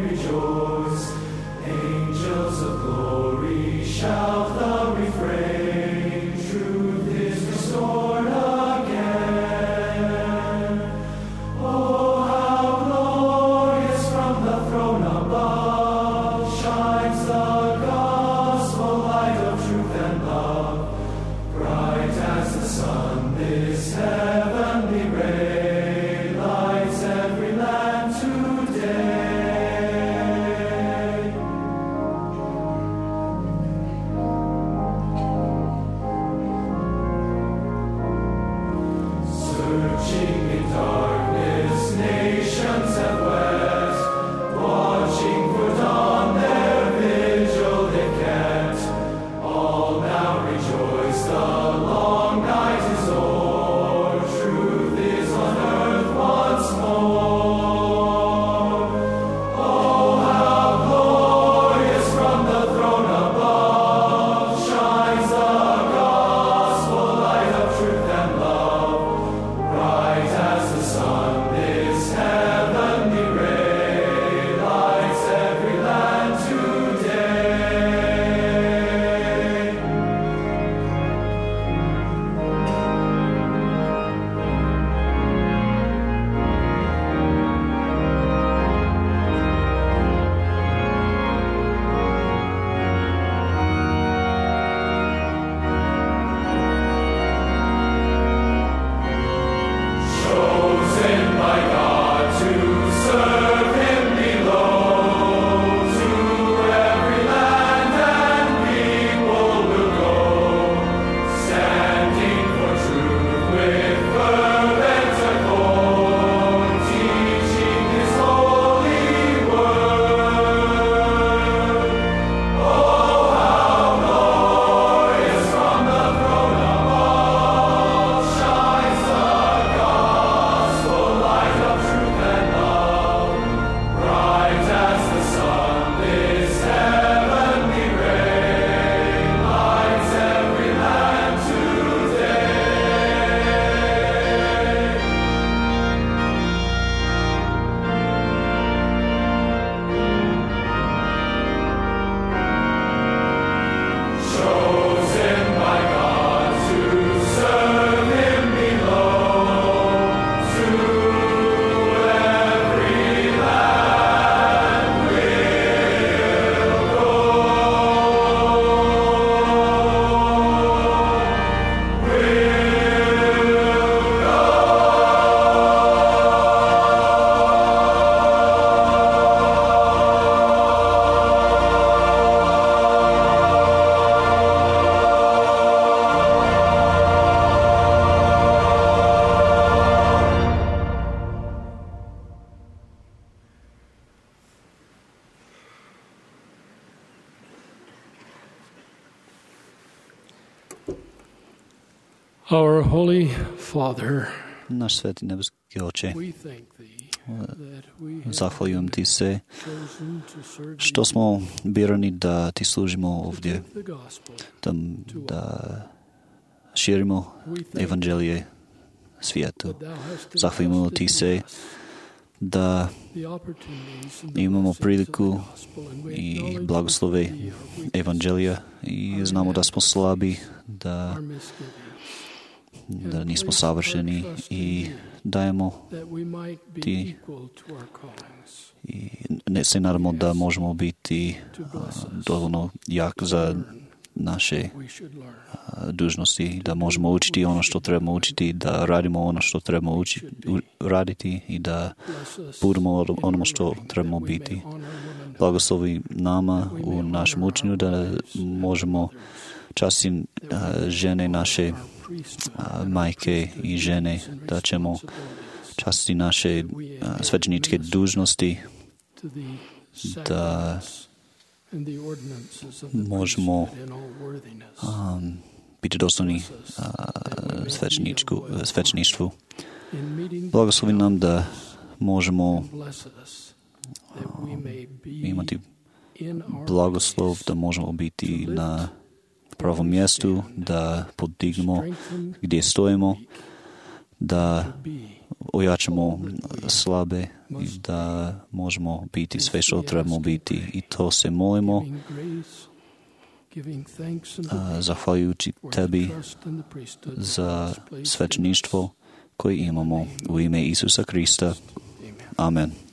Our Holy Father, Naš sveti nebeski Oče, zahvaljujem Ti se što smo birani da Ti služimo ovdje, da, da širimo evanđelije svijetu. Zahvaljujemo Ti se da imamo priliku i blagoslove evanđelija i znamo da smo slabi, da, da nismo savršeni i dajemo Ti i ne se nadamo da možemo biti dovoljno jak za naše dužnosti, da možemo učiti ono što trebamo učiti, da radimo ono što trebamo učiti, raditi i da budemo ono što trebamo biti. Blagoslovi nama u našem učenju da možemo častiti žene naše majke i žene, da ćemo častiti naše svećeničke dužnosti, da možemo um, biti dostojni uh, svećeništvu. Blagoslovi nam da možemo um, imati blagoslov, da možemo biti na pravom mjestu, da podignemo gdje stojimo, da ojačamo slabe i da možemo biti sve što trebamo biti. I to se molimo zahvaljujući Tebi za svećeništvo koje imamo u ime Isusa Krista. Amen.